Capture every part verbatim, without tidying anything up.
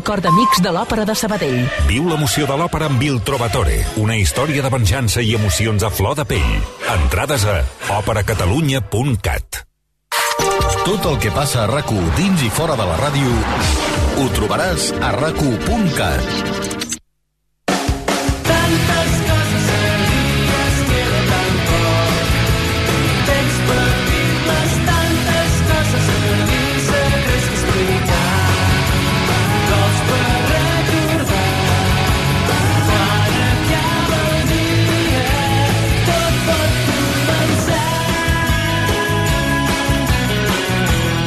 Cor d'Amics de l'Òpera de Sabadell. Viu l'emoció de l'òpera amb Il Trovatore, una història de venjança i emocions a flor de pell. Entrades a òpera catalunya punt cat. Tot el que passa a RAC u dins i fora de la ràdio ho trobaràs a rac u punt cat.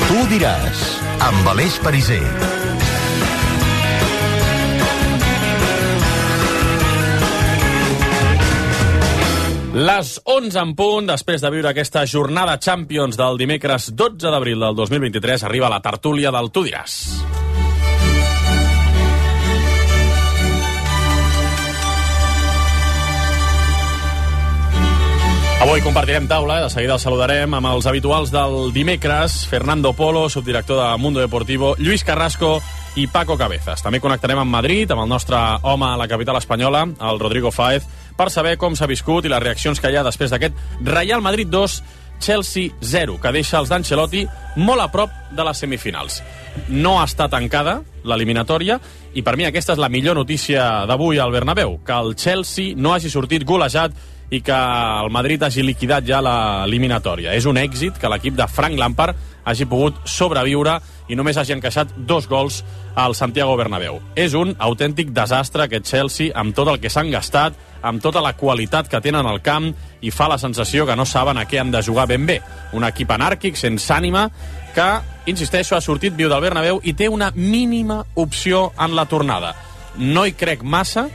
Tu diràs, amb Aleix Pariser. Les onze en punt, després de viure aquesta jornada Champions del dimecres dotze d'abril del dos mil vint-i-tres, arriba la tertúlia del Tu diràs. Avui compartirem taula, de seguida el saludarem amb els habituals del dimecres, Fernando Polo, subdirector de Mundo Deportivo, Lluís Carrasco i Paco Cabezas. També connectarem amb Madrid, amb el nostre home a la capital espanyola, el Rodrigo Fáez, per saber com s'ha viscut i les reaccions que hi ha després d'aquest Real Madrid dos, Chelsea zero, que deixa els d'Ancelotti molt a prop de les semifinals. No està tancada l'eliminatòria i per mi aquesta és la millor notícia d'avui al Bernabéu, que el Chelsea no hagi sortit golejat i que el Madrid hagi liquidat ja l'eliminatòria. És un èxit que l'equip de Frank Lampard hagi pogut sobreviure i només hagi encaixat dos gols al Santiago Bernabéu. És un autèntic desastre aquest Chelsea, amb tot el que s'han gastat, amb tota la qualitat que tenen al camp, i fa la sensació que no saben a què han de jugar ben bé. Un equip anàrquic, sense ànima, que, insisteixo, ha sortit viu del Bernabéu i té una mínima opció en la tornada. No hi crec massa,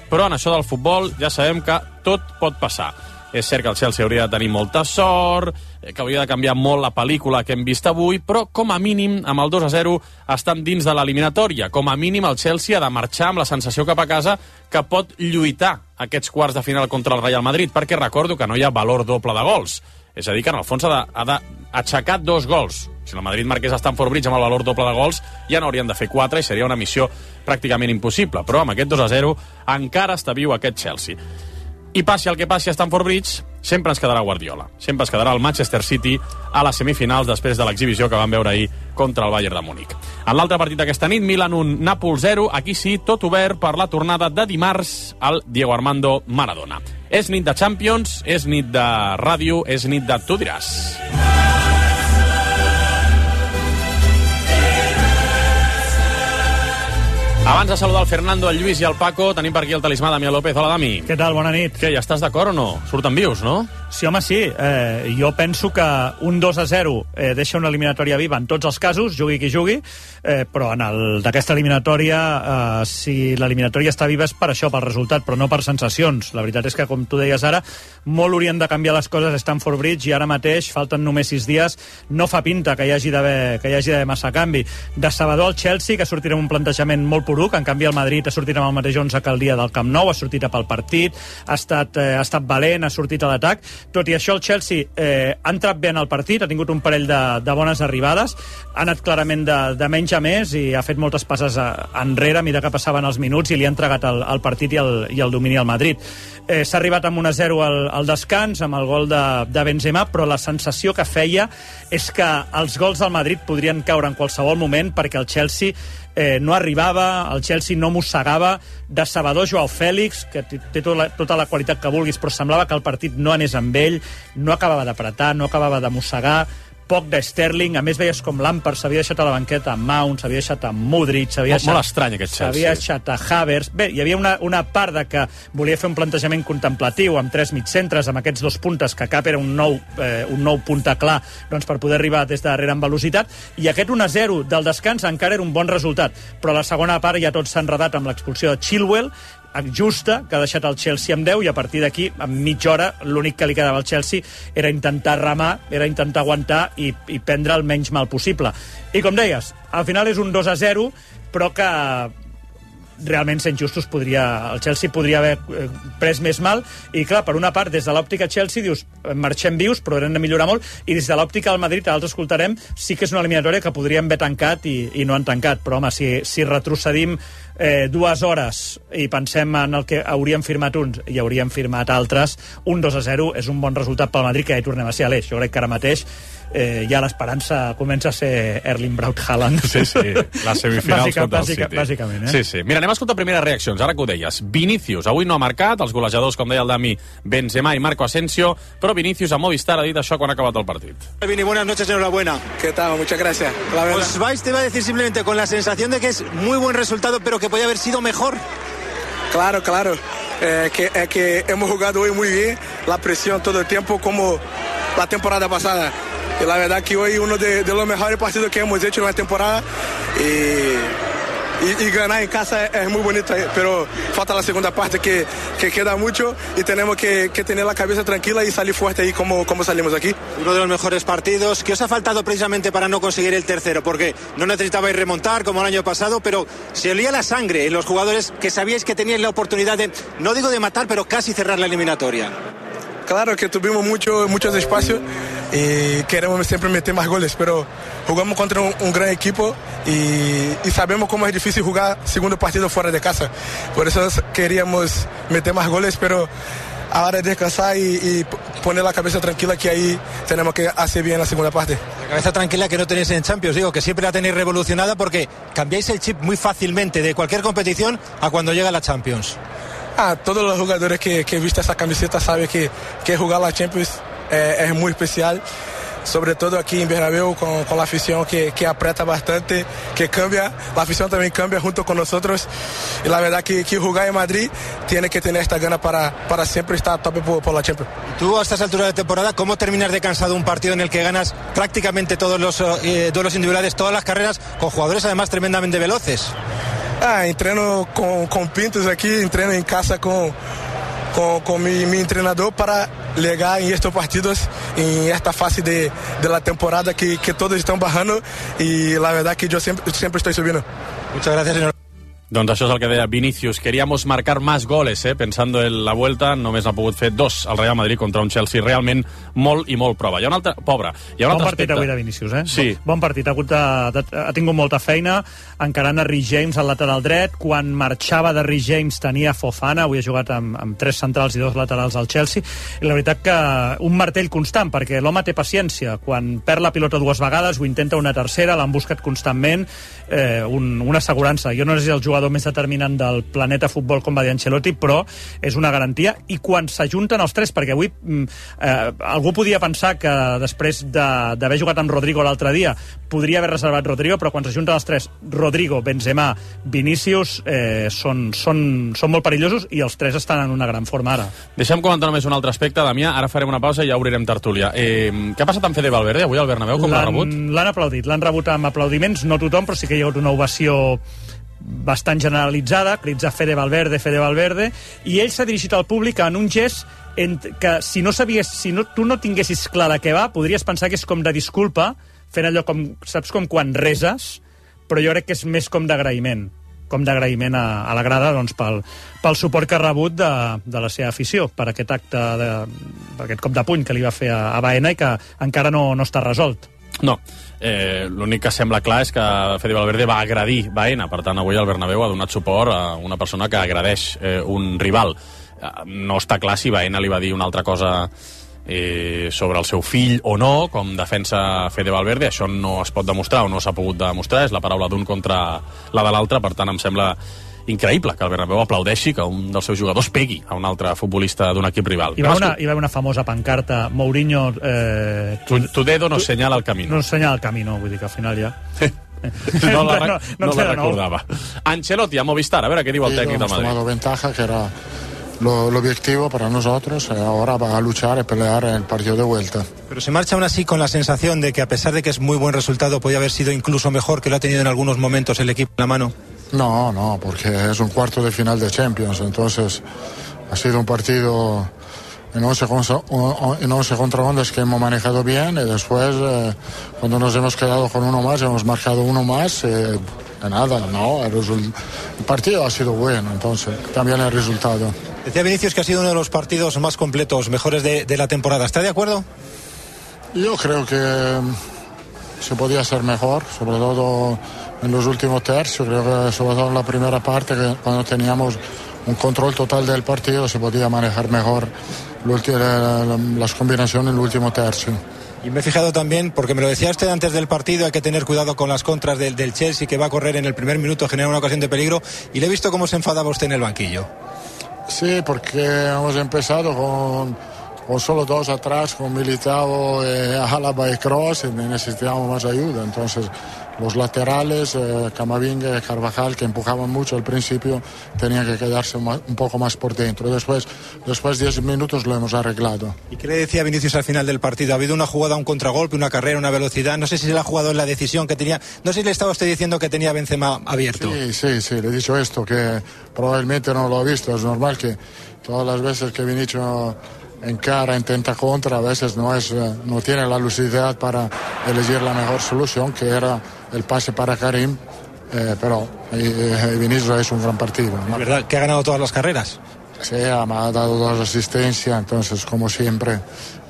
però en això del futbol ja sabem que tot pot passar. És cert que el Chelsea hauria de tenir molta sort, que hauria de canviar molt la pel·lícula que hem vist avui, però com a mínim, amb el dos a zero, estan dins de l'eliminatòria. Com a mínim, el Chelsea ha de marxar amb la sensació cap a casa que pot lluitar aquests quarts de final contra el Real Madrid, perquè recordo que no hi ha valor doble de gols. És a dir, que en el fons ha d'aixecar dos gols. Si el Madrid marqués a Stamford Bridge amb el valor doble de gols, ja n'haurien de fer quatre i seria una missió pràcticament impossible. Però amb aquest dos a zero encara està viu aquest Chelsea. I passi el que passi a Stamford Bridge, sempre ens quedarà Guardiola. Sempre ens quedarà el Manchester City a les semifinals després de l'exhibició que vam veure ahir contra el Bayern de Múnich. En l'altre partit d'aquesta nit, Milan un, Nàpols zero, aquí sí, tot obert per la tornada de dimarts al Diego Armando Maradona. És nit de Champions, és nit de ràdio, és nit de Tu diràs. Abans de saludar el Fernando, el Lluís i el Paco, tenim per aquí el talismà Damià López. Hola, Dami. Què tal? Bona nit. Què, ja estàs d'acord o no? Surten vius, no? Sí, home, sí. Eh, jo penso que un dos a zero eh, deixa una eliminatòria viva en tots els casos, jugui qui jugui, eh, però en el d'aquesta eliminatòria, eh, si l'eliminatòria està viva és per això, pel resultat, però no per sensacions. La veritat és que, com tu deies ara, molt haurien de canviar les coses a Stamford Bridge i ara mateix, falten només sis dies, no fa pinta que hi hagi d'haver que hi hagi d'haver massa canvi. De Sabadell al Chelsea, que sortirà amb un plantejament molt poruc, en canvi el Madrid ha sortit amb el mateix onze que el dia del Camp Nou, ha sortit a pel partit, ha estat, eh, ha estat valent, ha sortit a l'atac. Tot i això, el Chelsea eh, ha entrat bé en el partit, ha tingut un parell de, de bones arribades, ha anat clarament de, de menys a més i ha fet moltes passes a, enrere a mesura que passaven els minuts i li ha entregat el, el partit i el, i el domini al Madrid. Eh, S'ha arribat amb un a zero al, al descans, amb el gol de, de Benzema, però la sensació que feia és que els gols del Madrid podrien caure en qualsevol moment perquè el Chelsea eh, no arribava, el Chelsea no mossegava. De Salvador, Joao Fèlix, que té tota la, tota la qualitat que vulguis, però semblava que el partit no anés amb ell, no acabava d'apretar, no acabava de mossegar, poc de Sterling, a més veies com Lampard s'havia deixat a la banqueta amb Mount, s'havia deixat amb Modric, s'havia deixat, molt estrany aquest Chelsea. S'havia deixat a Havertz. Bé, hi havia una, una part de que volia fer un plantejament contemplatiu amb tres mitcentres, amb aquests dos puntes, que cap era un nou, eh, un nou punta clar doncs, per poder arribar des de darrere amb velocitat, i aquest un a zero del descans encara era un bon resultat, però a la segona part ja tot s'ha enredat amb l'expulsió de Chilwell, justa, que ha deixat el Chelsea amb deu, i a partir d'aquí, en mitja hora, l'únic que li quedava al Chelsea era intentar remar, era intentar aguantar i, i prendre el menys mal possible. I com deies, al final és un dos a zero, però que realment, sent justos, podria, el Chelsea podria haver pres més mal, i clar, per una part, des de l'òptica Chelsea dius, marxem vius, però hem de millorar molt, i des de l'òptica al Madrid, ara els escoltarem, sí que és una eliminatòria que podríem haver tancat i, i no han tancat, però home, si, si retrocedim eh, dues hores i pensem en el que hauríem firmat uns i hauríem firmat altres, un dos a zero és un bon resultat pel Madrid, que ja hi tornem a ser a l'eix. Jo crec que ara mateix eh, ja l'esperança comença a ser Erling Braut Haaland. Sí, sí, les semifinals Bàsica, contra el bàsica, City. Bàsicament, eh? Sí, sí. Mira, anem a escoltar primeres reaccions, ara que ho deies. Vinícius, avui no ha marcat, els golejadors, com deia el Dami, Benzema i Marco Asensio, però Vinícius a Movistar ha dit això quan ha acabat el partit. Vini, buenas noches, enhorabuena. ¿Qué tal? Muchas gracias. La verdad. Os vais, te iba a decir simplemente con la sensación de que es muy buen resultado, pero que podía haber sido mejor. Claro, claro. Eh, que, eh, que hemos jugado hoy muy bien, la presión todo el tiempo como la temporada pasada. Y la verdad que hoy uno de, de los mejores partidos que hemos hecho en la temporada. Y, y, y ganar en casa es muy bonito, pero falta la segunda parte que, que queda mucho y tenemos que, que tener la cabeza tranquila y salir fuerte ahí como, como salimos aquí. Uno de los mejores partidos. ¿Qué os ha faltado precisamente para no conseguir el tercero? Porque no necesitabais remontar como el año pasado, pero se olía la sangre en los jugadores que sabíais que teníais la oportunidad de, no digo de matar, pero casi cerrar la eliminatoria. Claro que tuvimos mucho, muchos espacios y queremos siempre meter más goles, pero jugamos contra un, un gran equipo y, y sabemos cómo es difícil jugar segundo partido fuera de casa. Por eso queríamos meter más goles, pero ahora es descansar y, y poner la cabeza tranquila, que ahí tenemos que hacer bien la segunda parte. La cabeza tranquila que no tenéis en Champions, digo, que siempre la tenéis revolucionada porque cambiáis el chip muy fácilmente de cualquier competición a cuando llega la Champions. Ah, todos los jugadores que, que visten esa camiseta saben que, que jugar la Champions eh, es muy especial, sobre todo aquí en Bernabéu con, con la afición que, que aprieta bastante, que cambia, la afición también cambia junto con nosotros y la verdad que, que jugar en Madrid tiene que tener esta gana para, para siempre estar a tope por, por la Champions. Tú a estas alturas de temporada, ¿cómo terminas de cansado un partido en el que ganas prácticamente todos los eh, duelos individuales, todas las carreras, con jugadores además tremendamente veloces? Ah, entreno con, con Pintos aquí, entreno en casa con, con, con mi, mi entrenador para llegar en estos partidos, en esta fase de, de la temporada que, que todos están bajando y la verdad que yo siempre, siempre estoy subiendo. Muchas gracias, señor. Doncs això és el que deia Vinícius. Queríamos marcar más goles, eh? Pensando en la vuelta, només ha pogut fer dos al Real Madrid contra un Chelsea realment molt i molt prova. Hi ha un altre... Pobre. Hi ha un bon altre partit aspecte. avui de Vinícius, eh? Sí. Bon partit. Ha, hagut de, de, ha tingut molta feina encarant a Reece James al lateral dret. Quan marxava de Reece James tenia Fofana. Avui ha jugat amb, amb tres centrals i dos laterals al Chelsea. I la veritat que un martell constant, perquè l'home té paciència. Quan perd la pilota dues vegades, ho intenta una tercera, l'han buscat constantment. Eh, un, una assegurança. Jo no sé si el jugador més determinant del planeta futbol, com va dir Ancelotti, però és una garantia. I quan s'ajunten els tres, perquè avui eh, algú podia pensar que després d'haver jugat amb Rodrigo l'altre dia podria haver reservat Rodrigo, però quan s'ajunten els tres, Rodrigo, Benzema, Vinícius, eh, són, són, són molt perillosos i els tres estan en una gran forma ara. Deixem comentar només un altre aspecte, Damià. Ara farem una pausa i ja obrirem tertúlia. Eh, què ha passat amb Fede Valverde avui al Bernabéu? Com l'ha rebut? L'han aplaudit, l'han rebut amb aplaudiments, no tothom, però sí que hi ha hagut una ovació bastant generalitzada, crits a Fede Valverde, Fede Valverde, i ell s'ha dirigit al públic en un gest que si no sabies, si no, tu no tinguessis clar de què va, podries pensar que és com de disculpa, fent allò com, saps, com quan reses, però jo crec que és més com d'agraïment, com d'agraïment a, a la grada, doncs, pel, pel suport que ha rebut de, de la seva afició, per aquest acte, de, per aquest cop de puny que li va fer a, a Baena i que encara no, no està resolt. No, eh, l'únic que sembla clar és que Fede Valverde va agredir Baena, per tant avui el Bernabéu ha donat suport a una persona que agredeix eh, un rival. Eh, no està clar si Baena li va dir una altra cosa eh, sobre el seu fill o no, com defensa Fede Valverde. Això no es pot demostrar o no s'ha pogut demostrar, és la paraula d'un contra la de l'altre, per tant em sembla increïble que el Bernabéu aplaudeixi que un dels seus jugadors pegui a un altre futbolista d'un equip rival. Hi va una, hi va una famosa pancarta, Mourinho... Eh, tu, tu dedo no señala el camino. No señala el camino, vull dir que al final ja... no la, no, no, no la recordava. Ancelotti a Movistar, a veure què diu el tècnic del Madrid. Hemos tomado ventaja, que era lo, lo objetivo para nosotros, y ahora va a luchar y pelear en el partido de vuelta. Pero se marcha aún así con la sensación de que a pesar de que es muy buen resultado, podría haber sido incluso mejor, que lo ha tenido en algunos momentos el equipo en la mano. No, no, porque es un cuarto de final de Champions, entonces ha sido un partido en once contra once que hemos manejado bien y después eh, cuando nos hemos quedado con uno más, hemos marcado uno más, eh, nada, no, el, result... el partido ha sido bueno, entonces también el resultado. Decía Vinicius que ha sido uno de los partidos más completos, mejores de, de la temporada. ¿Está de acuerdo? Yo creo que se podía ser mejor, sobre todo en los últimos tercios. Creo que sobre todo en la primera parte, que cuando teníamos un control total del partido, se podía manejar mejor las combinaciones en el último tercio. Y me he fijado también, porque me lo decía usted antes del partido, hay que tener cuidado con las contras del, del Chelsea, que va a correr en el primer minuto, genera una ocasión de peligro, y le he visto cómo se enfadaba usted en el banquillo. Sí, porque hemos empezado con, con solo dos atrás, con Militao, eh, Alaba y Kroos, y necesitábamos más ayuda. Entonces los laterales, eh, Camavinga y Carvajal, que empujaban mucho al principio, tenían que quedarse más, un poco más por dentro. Después, después de diez minutos lo hemos arreglado. ¿Y qué le decía Vinicius al final del partido? Ha habido una jugada, un contragolpe, una carrera, una velocidad. No sé si se le ha jugado en la decisión que tenía. No sé si le estaba usted diciendo que tenía Benzema abierto. Sí, sí, sí, le he dicho esto, que probablemente no lo ha visto. Es normal que todas las veces que Vinicius encara, intenta contra, a veces no, es, no tiene la lucidez para elegir la mejor solución, que era el pase para Karim, eh, pero eh, Vinicius es un gran partido, ¿no? ¿Es verdad que ha ganado todas las carreras? Sí, me ha dado dos asistencias, entonces como siempre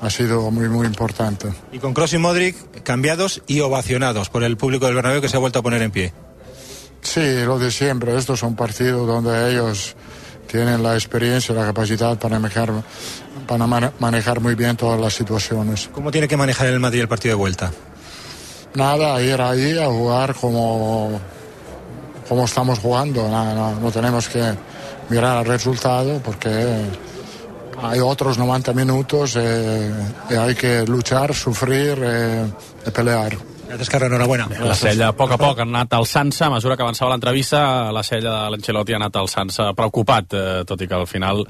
ha sido muy muy importante. Y con Kroos y Modric cambiados y ovacionados por el público del Bernabéu, que se ha vuelto a poner en pie. Sí, lo de siempre, estos son partidos donde ellos tienen la experiencia y la capacidad para manejar, para manejar muy bien todas las situaciones. ¿Cómo tiene que manejar el Madrid el partido de vuelta? Nada, ir ahí a jugar como, como estamos jugando. No, no, no tenemos que mirar al resultado, porque hay otros noventa minutos eh, y hay que luchar, sufrir eh, y pelear. Gràcies, Carles, enhorabona. La Sella, a poc a poc, ha anat alçant-se. A mesura que avançava l'entrevista, la Sella de l'Ancelotti ha anat alçant-se, preocupat, eh, tot i que al final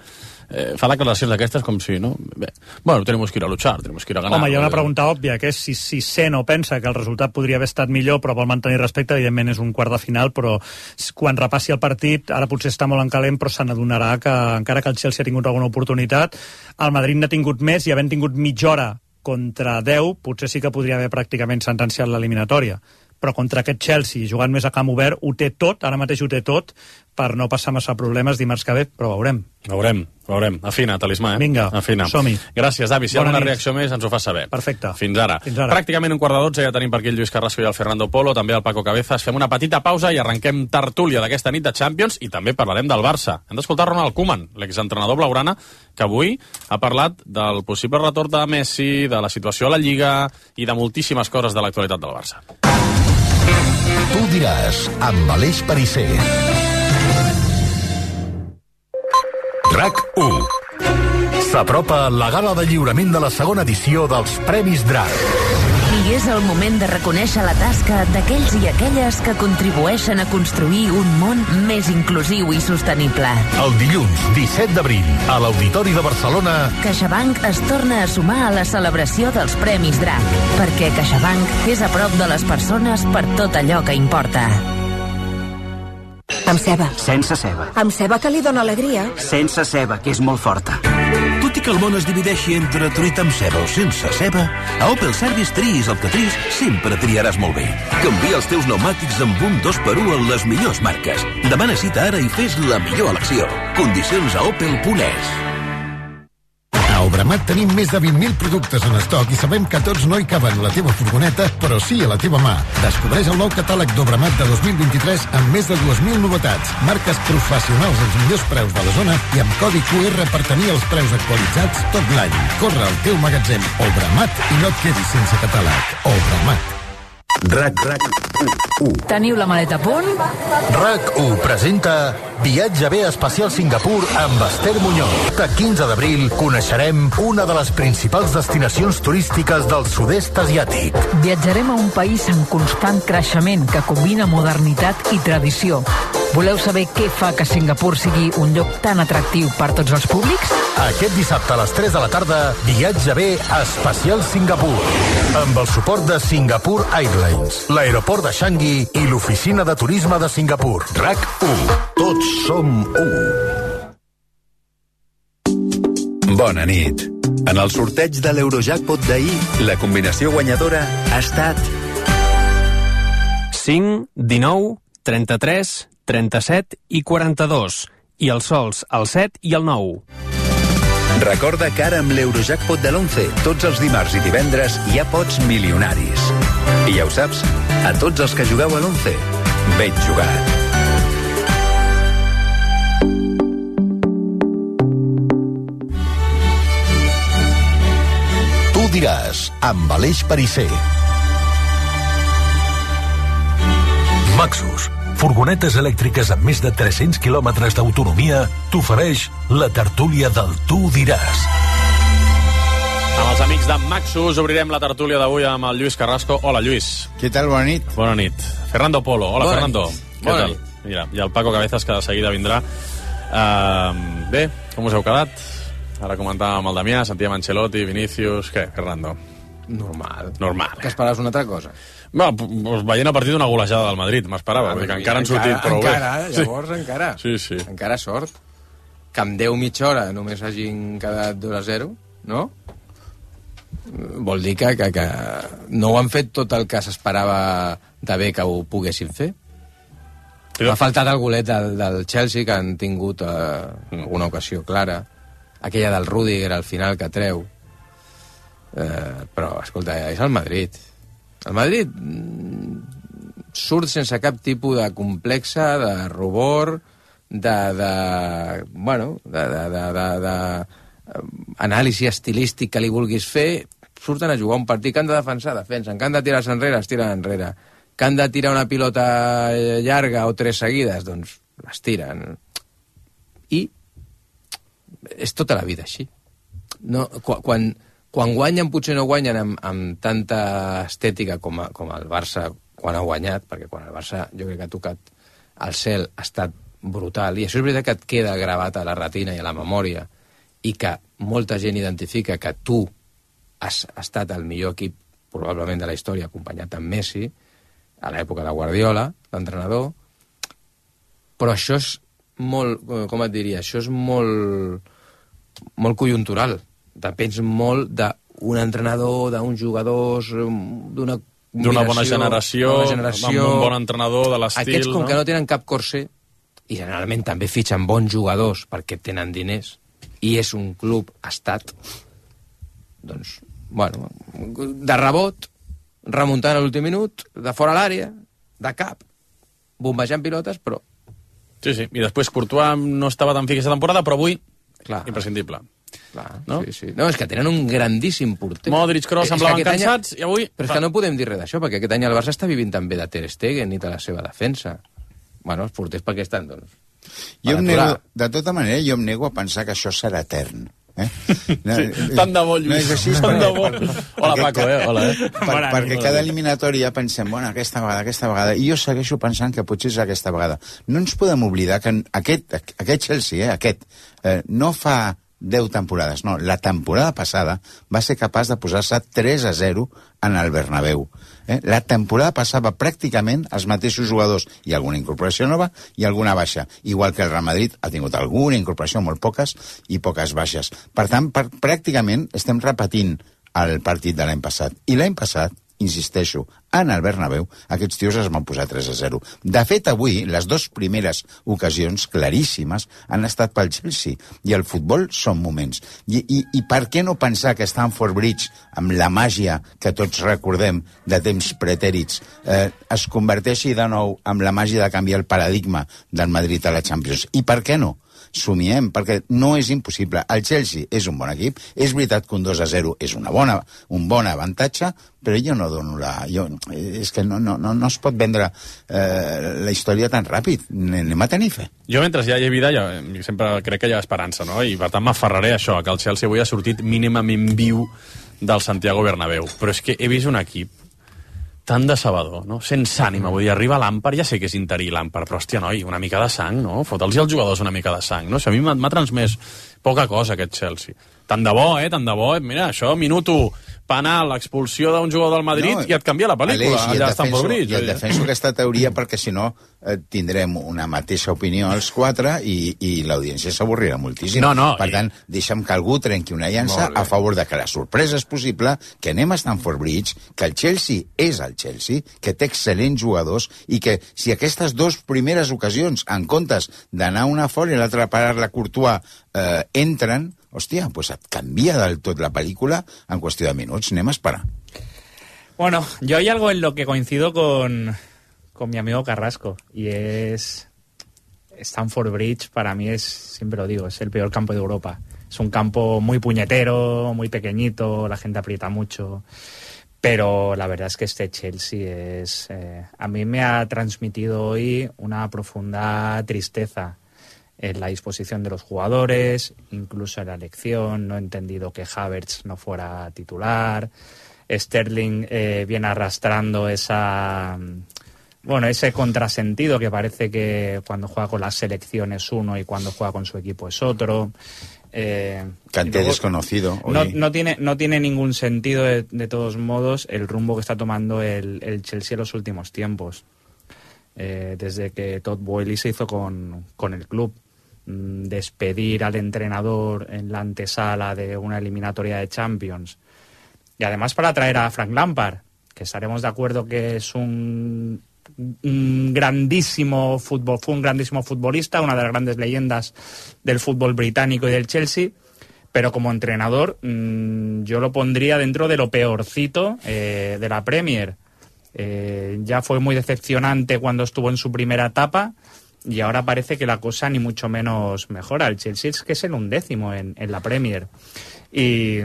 eh, fa declaracions d'aquestes com si, no? Bé, bueno, tenemos que ir a luchar, tenemos que ir a ganar. Home, hi ha una pregunta òbvia, que és si, si sent o pensa que el resultat podria haver estat millor, però vol mantenir respecte. Evidentment és un quart de final, però quan repassi el partit, ara potser està molt en calent, però se n'adonarà que encara que el Chelsea ha tingut alguna oportunitat, el Madrid n'ha tingut més, i havent tingut mitja hora contra deu, potser sí que podria haver pràcticament sentenciat l'eliminatòria. Però contra aquest Chelsea, jugant més a camp obert, ho té tot, ara mateix ho té tot, per no passar massa problemes dimarts que ve, però veurem. Veurem, veurem. Afina, talismà, eh? Vinga, Afina. som-hi. Gràcies, Davi. Si hi ha alguna reacció més, ens ho fas saber. Perfecte. Fins ara. Fins ara. Pràcticament un quart de dotze, ja tenim per aquí el Lluís Carrasco i el Fernando Polo, també el Paco Cabezas. Fem una petita pausa i arrenquem tertúlia d'aquesta nit de Champions, i també parlarem del Barça. Hem d'escoltar Ronald Koeman, l'exentrenador blaugrana, que avui ha parlat del possible retorn de Messi, de la situació a la Lliga i de moltíssimes coses de l'actualitat del Barça. Tu diràs, amb Aleix Perisser. RAC u. S'apropa la gala de lliurament de la segona edició dels Premis DRAC. I és el moment de reconèixer la tasca d'aquells i aquelles que contribueixen a construir un món més inclusiu i sostenible. El dilluns disset d'abril, a l'Auditori de Barcelona, CaixaBank es torna a sumar a la celebració dels Premis DRAC, perquè CaixaBank és a prop de les persones per tot allò que importa. Amb ceba. Sense ceba. Amb ceba, que li dona alegria. Sense ceba, que és molt forta. Tot i que el món es divideixi entre truita amb ceba o sense ceba, a Opel Service triïs el que triïs, sempre triaràs molt bé. Canvia els teus pneumàtics amb un dos per u en les millors marques. Demana cita ara i fes la millor elecció. Condicions a opel punt es. A Obramat tenim més de vint mil productes en estoc i sabem que tots no hi caben a la teva furgoneta, però sí a la teva mà. Descobreix el nou catàleg d'Obramat de dos mil vint-i-tres amb més de dues mil novetats, marques professionals als millors preus de la zona i amb codi Q R per tenir els preus actualitzats tot l'any. Corre al teu magatzem Obramat i no et quedis sense catàleg. Obramat. RAC, RAC u. Teniu la maleta a punt? RAC u presenta Viatge bé especial Singapur amb Esther Muñoz. El quinze d'abril coneixerem una de les principals destinacions turístiques del sud-est asiàtic. Viatjarem a un país en constant creixement que combina modernitat i tradició. Voleu saber què fa que Singapur sigui un lloc tan atractiu per tots els públics? Aquest dissabte a les tres de la tarda, Viatge bé especial Singapur. Amb el suport de Singapore Airlines, l'aeroport de Changi i l'oficina de turisme de Singapur. RAC u. Tots som u. Bona nit. En el sorteig de l'Eurojackpot d'ahir, la combinació guanyadora ha estat cinc, dinou, trenta-tres, trenta-set i quaranta-dos. I els sols al set i el nou. Recorda que ara amb l'Eurojackpot de l'onze, tots els dimarts i divendres hi ha pots milionaris. I ja ho saps, a tots els que jugueu a l'onze, ben jugat. Tu diràs, amb Aleix Perisser. Maxus, furgonetes elèctriques amb més de tres-cents quilòmetres d'autonomia, t'ofereix la tertúlia del Tu diràs. Amb els amics de Maxus obrirem la tertúlia d'avui amb el Lluís Carrasco. Hola, Lluís. Què tal? Bona nit. Bona nit. Fernando Polo. Hola, Bona Fernando. nit. Què Bona tal? nit. Mira, i el Paco Cabezas, que de seguida vindrà. Uh, bé, com us heu quedat? Ara comentàvem amb el Damià, sentíem Ancelotti, Vinícius... Què, Fernando? Normal. Normal. Que esperaves una altra cosa? No, pues veient a partir d'una golejada del Madrid, m'esperava, que encara han sortit prou bé. Encara, llavors sí. encara. Sí, sí. Encara sort. Que amb deu mitja hora només hagin quedat dos a zero, no? Vol dir que, que, que no ho han fet tot el que s'esperava de bé que ho poguessin fer. M'ha faltat el golet del, del Chelsea, que han tingut eh, alguna ocasió clara. Aquella del Rüdiger al final que treu. Eh, però, escolta, és el Madrid. El Madrid surt sense cap tipus de complexa, de rubor, de, de bueno, de, de, de, de, de anàlisi estilístic que li vulguis fer. Surten a jugar un partit que han de defensar, defensen, que han de tirar-se enrere, es tiren enrere, que han de tirar una pilota llarga o tres seguides, doncs les tiren. I és tota la vida així. No, quan, quan guanyen, potser no guanyen amb, amb tanta estètica com, a, com el Barça quan ha guanyat, perquè quan el Barça jo crec que ha tocat el cel ha estat brutal, i això és veritat que et queda gravat a la retina i a la memòria, i que molta gent identifica que tu has estat el millor equip probablement de la història, acompanyat amb Messi, a l'època de Guardiola, l'entrenador, però això és molt, com et diria, això és molt, molt conjuntural. Depens molt d'un entrenador, d'uns jugadors, d'una d'una bona generació, bona generació, amb un bon entrenador de l'estil. Aquests, com no? que no tenen cap corser, i generalment també fitxen bons jugadors perquè tenen diners, i és un club estat, doncs, bueno, de rebot, remuntant a l'últim minut, de fora l'àrea, de cap, bombejant pilotes, però... Sí, sí, i després Courtois no estava tan fi aquesta temporada, però avui, clar, imprescindible. Clar, no? Sí, sí. No, és que tenen un grandíssim porter. Modric, Kroos semblaven cansats, any... i avui... Però és que no podem dir res d'això, perquè aquest any el Barça està vivint també de Ter Stegen i de la seva defensa. Bueno, els porters per què estan, doncs? Jo em nego, de tota manera, jo em nego a pensar que això serà etern. Eh? No, sí, tant de bo, Lluís. No és així, tant perquè, de bo. Hola, Paco, eh? Hola, eh? Per, per, perquè cada eliminatòria pensem, bueno, aquesta vegada, aquesta vegada, i jo segueixo pensant que potser és aquesta vegada. No ens podem oblidar que aquest, aquest Chelsea, eh, aquest, eh, no fa deu temporades, no, la temporada passada va ser capaç de posar-se tres a zero en el Bernabéu. Eh? La temporada passava pràcticament els mateixos jugadors, i alguna incorporació nova i alguna baixa, igual que el Real Madrid ha tingut alguna incorporació, molt poques, i poques baixes. Per tant, per, pràcticament estem repetint el partit de l'any passat. I l'any passat, insisteixo, en el Bernabéu, aquests tios es van posar tres a zero. De fet, avui, les dues primeres ocasions claríssimes han estat pel Chelsea, i el futbol són moments. I, i, i per què no pensar que Stamford Bridge, amb la màgia que tots recordem de temps pretèrits, eh, es converteixi de nou amb la màgia de canviar el paradigma del Madrid a la Champions? I per què no? Somiem, perquè no és impossible. El Chelsea és un bon equip, és veritat que un dos a zero és una bona, un bon avantatge, però jo no dono la... Jo, és que no, no, no, no es pot vendre eh, la història tan ràpid. Anem a tenir fe. Jo, mentre hi ha vida, jo sempre crec que hi ha esperança, no? I per tant m'aferraré a això, que el Chelsea avui ha sortit mínimament viu del Santiago Bernabéu. Però és que he vist un equip tan decebedor, no? Sense ànima, vull dir, arriba Lampard, ja sé que és interí Lampard, però hòstia, noi, una mica de sang, no? Fota'ls als jugadors una mica de sang, no? O sigui, a mi m'ha transmès poca cosa aquest Chelsea. Tant de bo, eh? Tant de bo. Mira, això, minut u, penal, expulsió d'un jugador del Madrid no, i et canvia la pel·lícula. Aleix, allà a Stamford Bridge. I et defenso aquesta teoria perquè, si no, eh, tindrem una mateixa opinió els quatre i, i l'audiència s'avorrirà moltíssim. No, no, per i... tant, deixa'm que algú trenqui una llança a favor de que la sorpresa és possible, que anem a Stamford Bridge, que el Chelsea és el Chelsea, que té excel·lents jugadors i que si aquestes dues primeres ocasions, en comptes d'anar una fora i l'altra a parar-la Courtois, eh, entren, hòstia, pues et canvia del tot la pel·lícula en qüestió de minuts. Anem a esperar. Bueno, yo hay algo en lo que coincido con, con mi amigo Carrasco, y es Stamford Bridge. Para mí es, siempre lo digo, es el peor campo de Europa. Es un campo muy puñetero, muy pequeñito, la gente aprieta mucho, pero la verdad es que este Chelsea es... Eh, a mí me ha transmitido hoy una profunda tristeza en la disposición de los jugadores, incluso en la elección. No he entendido que Havertz no fuera titular. Sterling eh, viene arrastrando esa, bueno, ese contrasentido que parece que cuando juega con la selección es uno y cuando juega con su equipo es otro. Eh, Kanté luego, desconocido. No, no, tiene, no tiene ningún sentido, de, de todos modos, el rumbo que está tomando el, el Chelsea en los últimos tiempos. Eh, desde que Todd Boehly se hizo con, con el club. Despedir al entrenador en la antesala de una eliminatoria de Champions, y además para traer a Frank Lampard, que estaremos de acuerdo que es un, un grandísimo fútbol, fue un grandísimo futbolista, una de las grandes leyendas del fútbol británico y del Chelsea, pero como entrenador mmm, yo lo pondría dentro de lo peorcito eh, de la Premier. Eh, ya fue muy decepcionante cuando estuvo en su primera etapa, y ahora parece que la cosa ni mucho menos mejora. El Chelsea es que es el undécimo en, en la Premier. Y,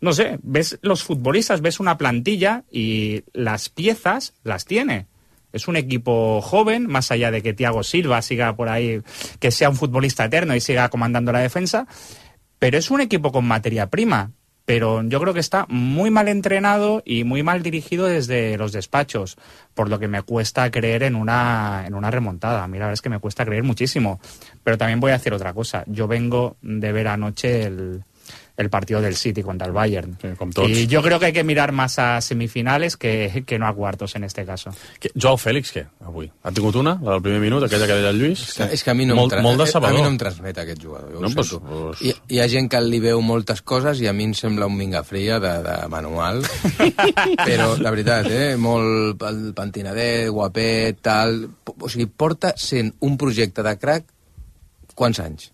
no sé, ves los futbolistas, ves una plantilla y las piezas las tiene. Es un equipo joven, más allá de que Thiago Silva siga por ahí, que sea un futbolista eterno y siga comandando la defensa, pero es un equipo con materia prima. Pero yo creo que está muy mal entrenado y muy mal dirigido desde los despachos, por lo que me cuesta creer en una, en una remontada. A mí la verdad es que me cuesta creer muchísimo. Pero también voy a decir otra cosa. Yo vengo de ver anoche el, el partido del City contra el Bayern. Sí, com tots. Y yo creo que hay que mirar más a semifinales que, que no a cuartos en este caso. Que, Joao Fèlix, què, avui? Ha tingut una, la del primer minut, aquella que deia el Lluís? És que, és que a mi no, molt, em, molt a mi no em transmet aquest jugador. No, pues, pues... Hi, hi ha gent que li veu moltes coses i a mi em sembla un mingafria de, de manual. Però, la veritat, eh, molt pentinadet, guapet, tal... O sigui, porta sent un projecte de crack quants anys?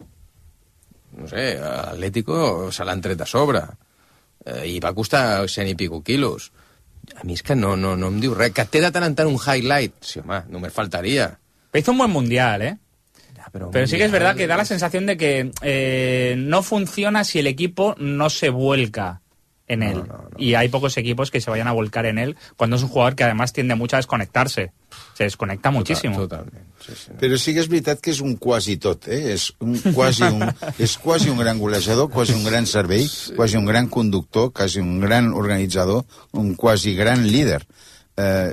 No sé, l'Atlético se l'han tret a sobre eh, i va costar cent i pico quilos. A mi és que no, no, no em diu res. Que té de tant en tant un highlight. Sí, home, només faltaria. Pero hizo un buen mundial, ¿eh? Ya, pero pero mundial, sí que es verdad que da la sensación de que eh, no funciona si el equipo no se vuelca en él. No, no, no. Y hay pocos equipos que se vayan a volcar en él cuando es un jugador que además tiende mucho a desconectarse. Se desconecta muchísimo. Total, totalment. Sí, sí. Però sí que és veritat que és un quasi tot, eh? És, un quasi un, és quasi un gran golejador, quasi un gran servei, sí. Quasi un gran conductor, quasi un gran organitzador, un quasi gran líder. Eh,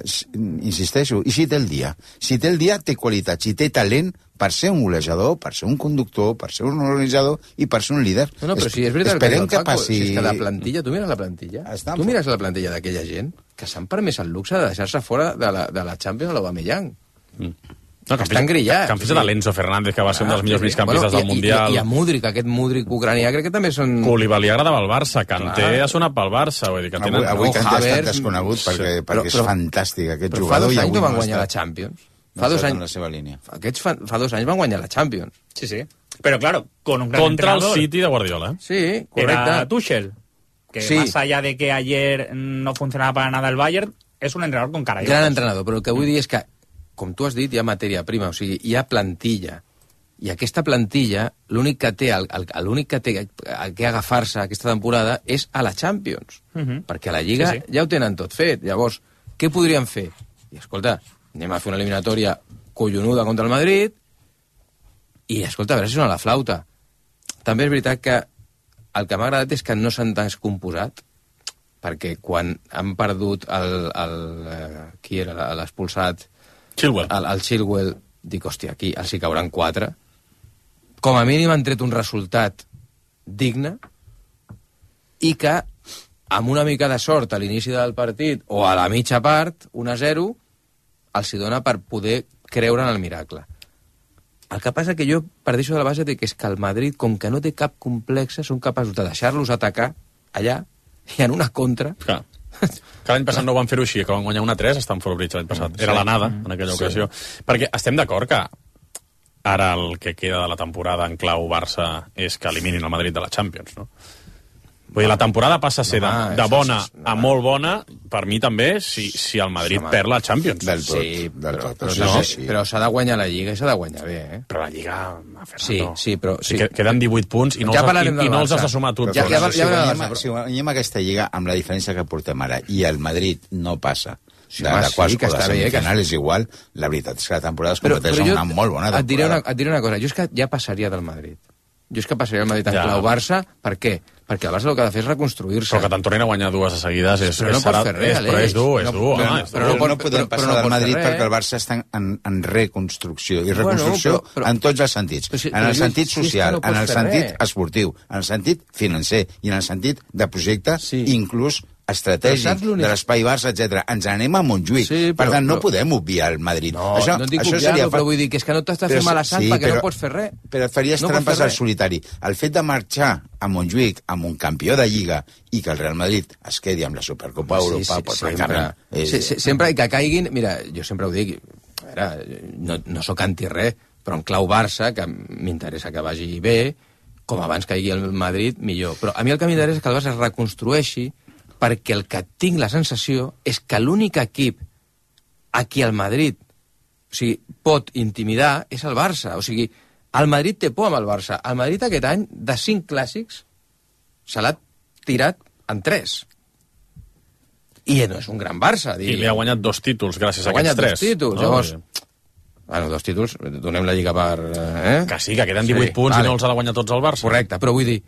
insisteixo, i si té el dia? Si té el dia, té qualitat. Si té talent per ser un golejador, per ser un conductor, per ser un organitzador i per ser un líder. No, no, però si és veritat Esperem que, que passi... Si és que la plantilla, tu mires la plantilla, tu mires la plantilla d'aquella gent que s'han permès el luxe de deixar-se fora de la, de la Champions a l'Aubameyang. Mm. No, que estan grillats. Que han fet l'Enzo Fernández, que va ser un dels millors migcampistes bueno, del Mundial. I, i, I a Múdric, aquest Múdric ucranià, crec que també són... Koulibaly agradava al Barça, Kanté ha sonat pel Barça. Vull dir que tenen... Avui, avui Kanté ha estat desconegut perquè, sí. perquè és però, fantàstic aquest però jugador. Però fa dos anys no van no guanyar està, la Champions. No fa dos anys, en la seva línia. Aquests fa, fa dos anys van guanyar la Champions. Sí, sí. Pero claro, con un gran Contra entrenador. el City de Guardiola. Sí, correcte. Era Tuchel. Que sí. Más allá de que ayer no funcionaba para nada el Bayern, es un entrenador con cara. Gran entrenador, però el que vull dir és que, com tu has dit, hi ha matèria prima, o sigui, hi ha plantilla. I aquesta plantilla, l'únic que té, l'únic que té a què agafar-se aquesta temporada és a la Champions. Uh -huh. Perquè a la Lliga sí, sí. ja ho tenen tot fet. Llavors, què podrien fer? I escolta, anem a fer una eliminatòria collonuda contra el Madrid i, escolta, a veure si sona la flauta. També és veritat que el que m'ha agradat és que no s'han descomposat, perquè quan han perdut el... el eh, qui era l'expulsat? Chilwell. El, el Chilwell, dic, hòstia, aquí els hi cauran quatre. Com a mínim han tret un resultat digne i que amb una mica de sort a l'inici del partit o a la mitja part, un a zero, els hi dona per poder creure en el miracle. El que passa que jo parteixo de la base de que és que el Madrid, com que no té cap complexa, són capaços de deixar-los atacar allà i en una contra... Clar. Que l'any passat no van fer-ho així, que van guanyar una a tres a Stamford Bridge l'any passat. Era la nada en aquella ocasió. Sí. Perquè estem d'acord que ara el que queda de la temporada en clau Barça és que eliminin el Madrid de la Champions, no? Vull dir, la temporada passa a ser de, de bona a molt bona, per mi també, si, si el Madrid perd la Champions. Del tot, sí, del tot. Però, però, no, però s'ha de guanyar la Lliga i s'ha de guanyar bé, eh? Però la Lliga, Fernando... Sí, sí, però... Sí. Sí, queden divuit punts i no, ja els, i, i no els has Barça. de sumar tots. Ja, ja, ja, ja, ja, si, guanyem, si guanyem aquesta Lliga amb la diferència que portem ara i el Madrid no passa sí, de, de quarts sí, que o de està semifinal bé, que... és igual, la veritat és que la temporada es però, competeix però una molt bona temporada. Et diré una, et diré una cosa, jo és que ja passaria del Madrid. Jo és que passaria el Madrid en ja. clau Barça, per què? Perquè el Barça el que ha de fer és reconstruir-se. Però que te'n tornin a guanyar dues a seguides és, però no és, serà, fer res, és, però és dur, és no, dur. Però, home, no, és però, dur. no, no podem però, passar però no del Madrid res, perquè el Barça està en, en reconstrucció. I reconstrucció bueno, però, però, en tots els sentits. però si, en el però sentit si social, no en el sentit res. esportiu, en el sentit financer i en el sentit de projecte, sí. inclús estratègic, de l'espai Barça, etcètera. Ens anem a Montjuïc. Sí, però, per tant, no però... podem obviar el Madrid. No, això, no et dic això obviar-lo, seria... però vull dir que és que no t'estàs fent mala sang sí, perquè però, no pots fer res. Però et faries no trampes al solitari. El fet de marxar a Montjuïc amb un campió de Lliga i que el Real Madrid es quedi amb la Supercopa sí, Europa, sí, pues, sempre, és... sí, sí, sempre que caiguin... Mira, jo sempre ho dic, a veure, no, no sóc anti-res, però en clau Barça, que m'interessa que vagi bé, com abans caigui el Madrid, millor. Però a mi el que m'interessa és que el Barça es reconstrueixi, perquè el que tinc la sensació és que l'únic equip a qui el Madrid o sigui, pot intimidar és el Barça. O sigui, el Madrid té por amb el Barça. El Madrid aquest any, de cinc clàssics, se l'ha tirat en tres. I no és un gran Barça. I li ha guanyat dos títols gràcies a aquests tres. Ha guanyat dos títols, no? Llavors... Bueno, dos títols, donem la Lliga per... Eh? Que sí, que queden divuit sí, punts vale. I no els ha de guanyar tots el Barça. Correcte, però vull dir,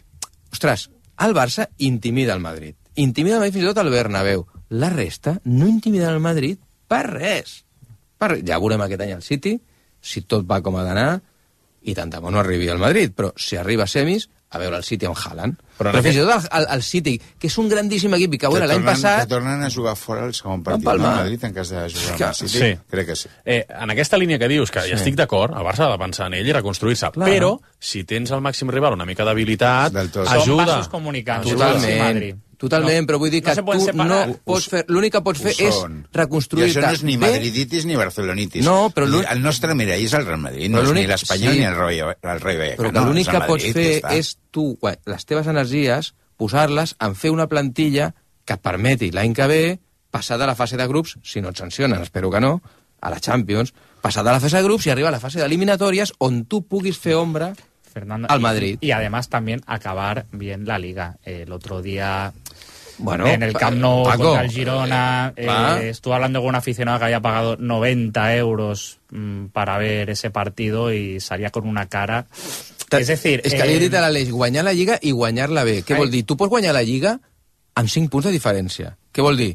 ostres, el Barça intimida el Madrid. Intimida el Madrid fins i tot al Bernabéu. La resta no intimida el Madrid per res. Per... Ja veurem aquest any al City, si tot va com ha d'anar, i tant de bo no arribi al Madrid, però si arriba a semis, a veure el City amb Haaland. Però, però fins i tot el, el, el City, que és un grandíssim equip, i que, que bueno, l'any passat... Que tornen a jugar fora el segon partit del Madrid en cas de jugar amb el City. Sí. Crec que sí. Eh, en aquesta línia que dius, que sí. ja estic d'acord, el Barça ha de pensar en ell i reconstruir-se, clar. Però si tens el màxim rival una mica d'habilitat, ajuda. Són vasos comunicants. Totalment. Totalment, no, però vull dir que no tu no pots fer... L'únic que pots fer és reconstruir-te. I això no és ni madriditis ni barcelonitis. No, però el nostre mirall és el Real Madrid, no és ni l'Espanyol sí. ni el Rei Vallecano. Però que l'únic que pots fer és tu, les teves energies, posar-les en fer una plantilla que et permeti l'any que ve passar de la fase de grups, si no et sancionen, espero que no, a la Champions, passar de la fase de grups i arribar a la fase d'eliminatòries on tu puguis fer ombra Fernando, al Madrid. Y, y además también acabar bien la Liga. Eh, el otro día, bueno, en el Camp Nou Paco, contra el Girona, eh, eh, estuve hablando con un aficionado que había pagado noventa euros mmm, para ver ese partido y salía con una cara... Es decir... És que li he dit a l'Aleix, guanyar la Lliga i guanyar-la bé. Què Ai. vol dir? Tu pots guanyar la Lliga amb cinc punts de diferència. Què vol dir?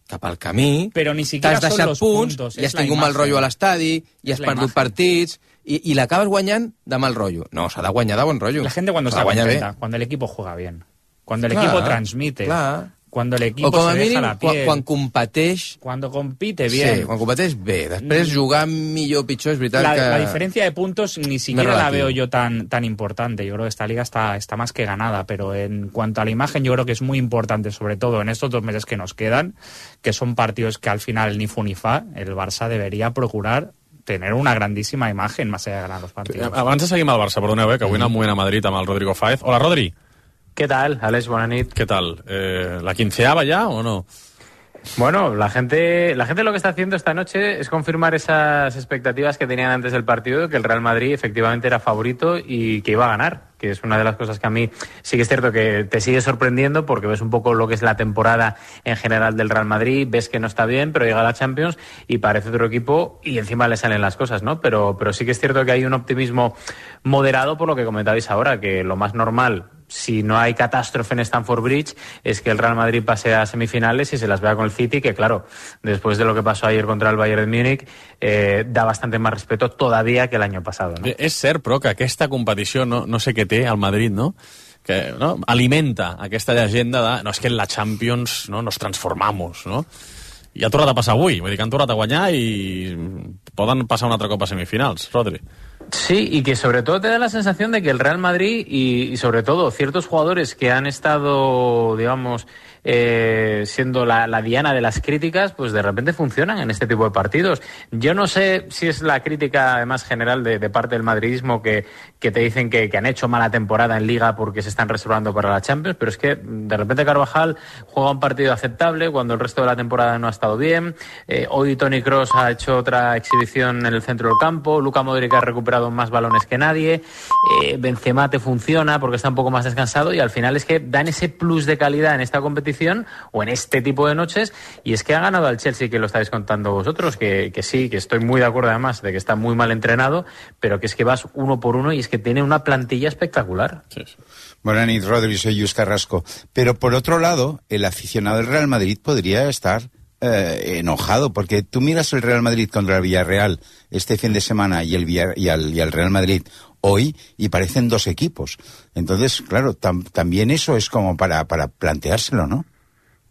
Cap al camí, t'has deixat punts, puntos, i has tingut mal rotllo a l'estadi, i has perdut imagen. partits, y, y l'acabes guanyant de mal rollo. No, s'ha de guanyar de bon rollo. La gente cuando está contenta, cuando el equipo juega bien, cuando el clar, equipo transmite, clar. Cuando el equipo o com a se mínim, deja la piel, quan, quan competeix... Cuando compite bien. Sí, quan competeix bé. Després jugar millor o pitjor és veritat la, que... La diferencia de puntos ni siquiera la veo yo tan, tan importante. Yo creo que esta liga está, está más que ganada, pero en cuanto a la imagen yo creo que es muy importante, sobre todo en estos dos meses que nos quedan, que son partidos que al final ni fu ni fa, el Barça debería procurar tener una grandísima imagen más allá de ganar los partidos. Abans de seguir amb el Barça, perdoneu, eh, que avui mm. en el moment a Madrid amb el Rodrigo Fáez. Hola, Rodri. ¿Qué tal, Alex? Buena nit. ¿Qué tal? Eh, ¿La quinceava ya o no? Bueno, la gente, la gente lo que está haciendo esta noche es confirmar esas expectativas que tenían antes del partido, que el Real Madrid efectivamente era favorito y que iba a ganar, que es una de las cosas que a mí sí que es cierto que te sigue sorprendiendo porque ves un poco lo que es la temporada en general del Real Madrid, ves que no está bien, pero llega a la Champions y parece otro equipo y encima le salen las cosas, ¿no? Pero, pero sí que es cierto que hay un optimismo moderado por lo que comentabais ahora, que lo más normal, si no hay catástrofe en Stamford Bridge, es que el Real Madrid pase a semifinales y se las vea con el City, que claro, después de lo que pasó ayer contra el Bayern de Múnich, eh, da bastante más respeto todavía que el año pasado, ¿no? És cert, però, que aquesta competició, no, no sé què té al Madrid, no? que no, alimenta aquesta llegenda de no, és que en la Champions no, nos transformamos, no? I ha tornat a passar avui, vull dir que han tornat a guanyar i poden passar un altre cop a semifinals, Rodri. Sí, y que sobre todo te da la sensación de que el Real Madrid y, y sobre todo ciertos jugadores que han estado, digamos, eh, siendo la, la diana de las críticas, pues de repente funcionan en este tipo de partidos. Yo no sé si es la crítica además general de, de parte del madridismo que, que te dicen que, que han hecho mala temporada en Liga porque se están reservando para la Champions, pero es que de repente Carvajal juega un partido aceptable cuando el resto de la temporada no ha estado bien. Eh, hoy Toni Kroos ha hecho otra exhibición en el centro del campo, Luka Modric ha recuperado más balones que nadie, eh, Benzema te funciona porque está un poco más descansado y al final es que dan ese plus de calidad en esta competición o en este tipo de noches y es que ha ganado al Chelsea, que lo estáis contando vosotros, que, que sí, que estoy muy de acuerdo además de que está muy mal entrenado, pero que es que vas uno por uno y es que tiene una plantilla espectacular. Sí, sí. Buenas noches, Rodri, soy Lluís Carrasco. Pero por otro lado, el aficionado del Real Madrid podría estar eh, enojado, porque tú miras el Real Madrid contra el Villarreal este fin de semana y el, Villar, y el, y el Real Madrid hoy y parecen dos equipos. Entonces, claro, tam, también eso es como para, para planteárselo, ¿no?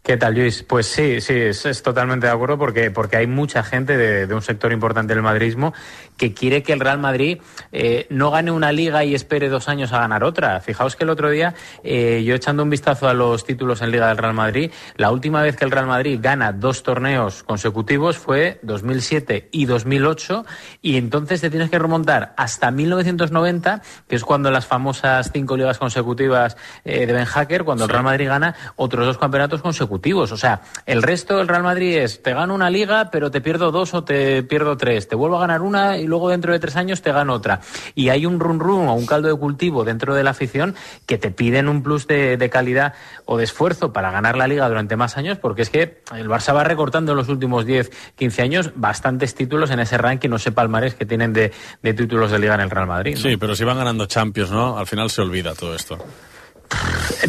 ¿Qué tal, Luis? Pues sí, sí, es, es totalmente de acuerdo porque, porque hay mucha gente de, de un sector importante del madridismo que quiere que el Real Madrid eh, no gane una liga y espere dos años a ganar otra. Fijaos que el otro día, eh, yo echando un vistazo a los títulos en Liga del Real Madrid, la última vez que el Real Madrid gana dos torneos consecutivos fue dos mil siete y dos mil ocho, y entonces te tienes que remontar hasta mil novecientos noventa, que es cuando las famosas cinco ligas consecutivas eh, de Ben Hacker, cuando sí. el Real Madrid gana otros dos campeonatos consecutivos. O sea, el resto del Real Madrid es, te gano una liga, pero te pierdo dos o te pierdo tres. Te vuelvo a ganar una y luego dentro de tres años te gano otra. Y hay un run run o un caldo de cultivo dentro de la afición que te piden un plus de, de calidad o de esfuerzo para ganar la liga durante más años, porque es que el Barça va recortando en los últimos diez, quince años bastantes títulos en ese ranking, no sé, palmarés que tienen de, de títulos de liga en el Real Madrid, ¿no? Sí, pero si van ganando Champions, ¿no? Al final se olvida todo esto.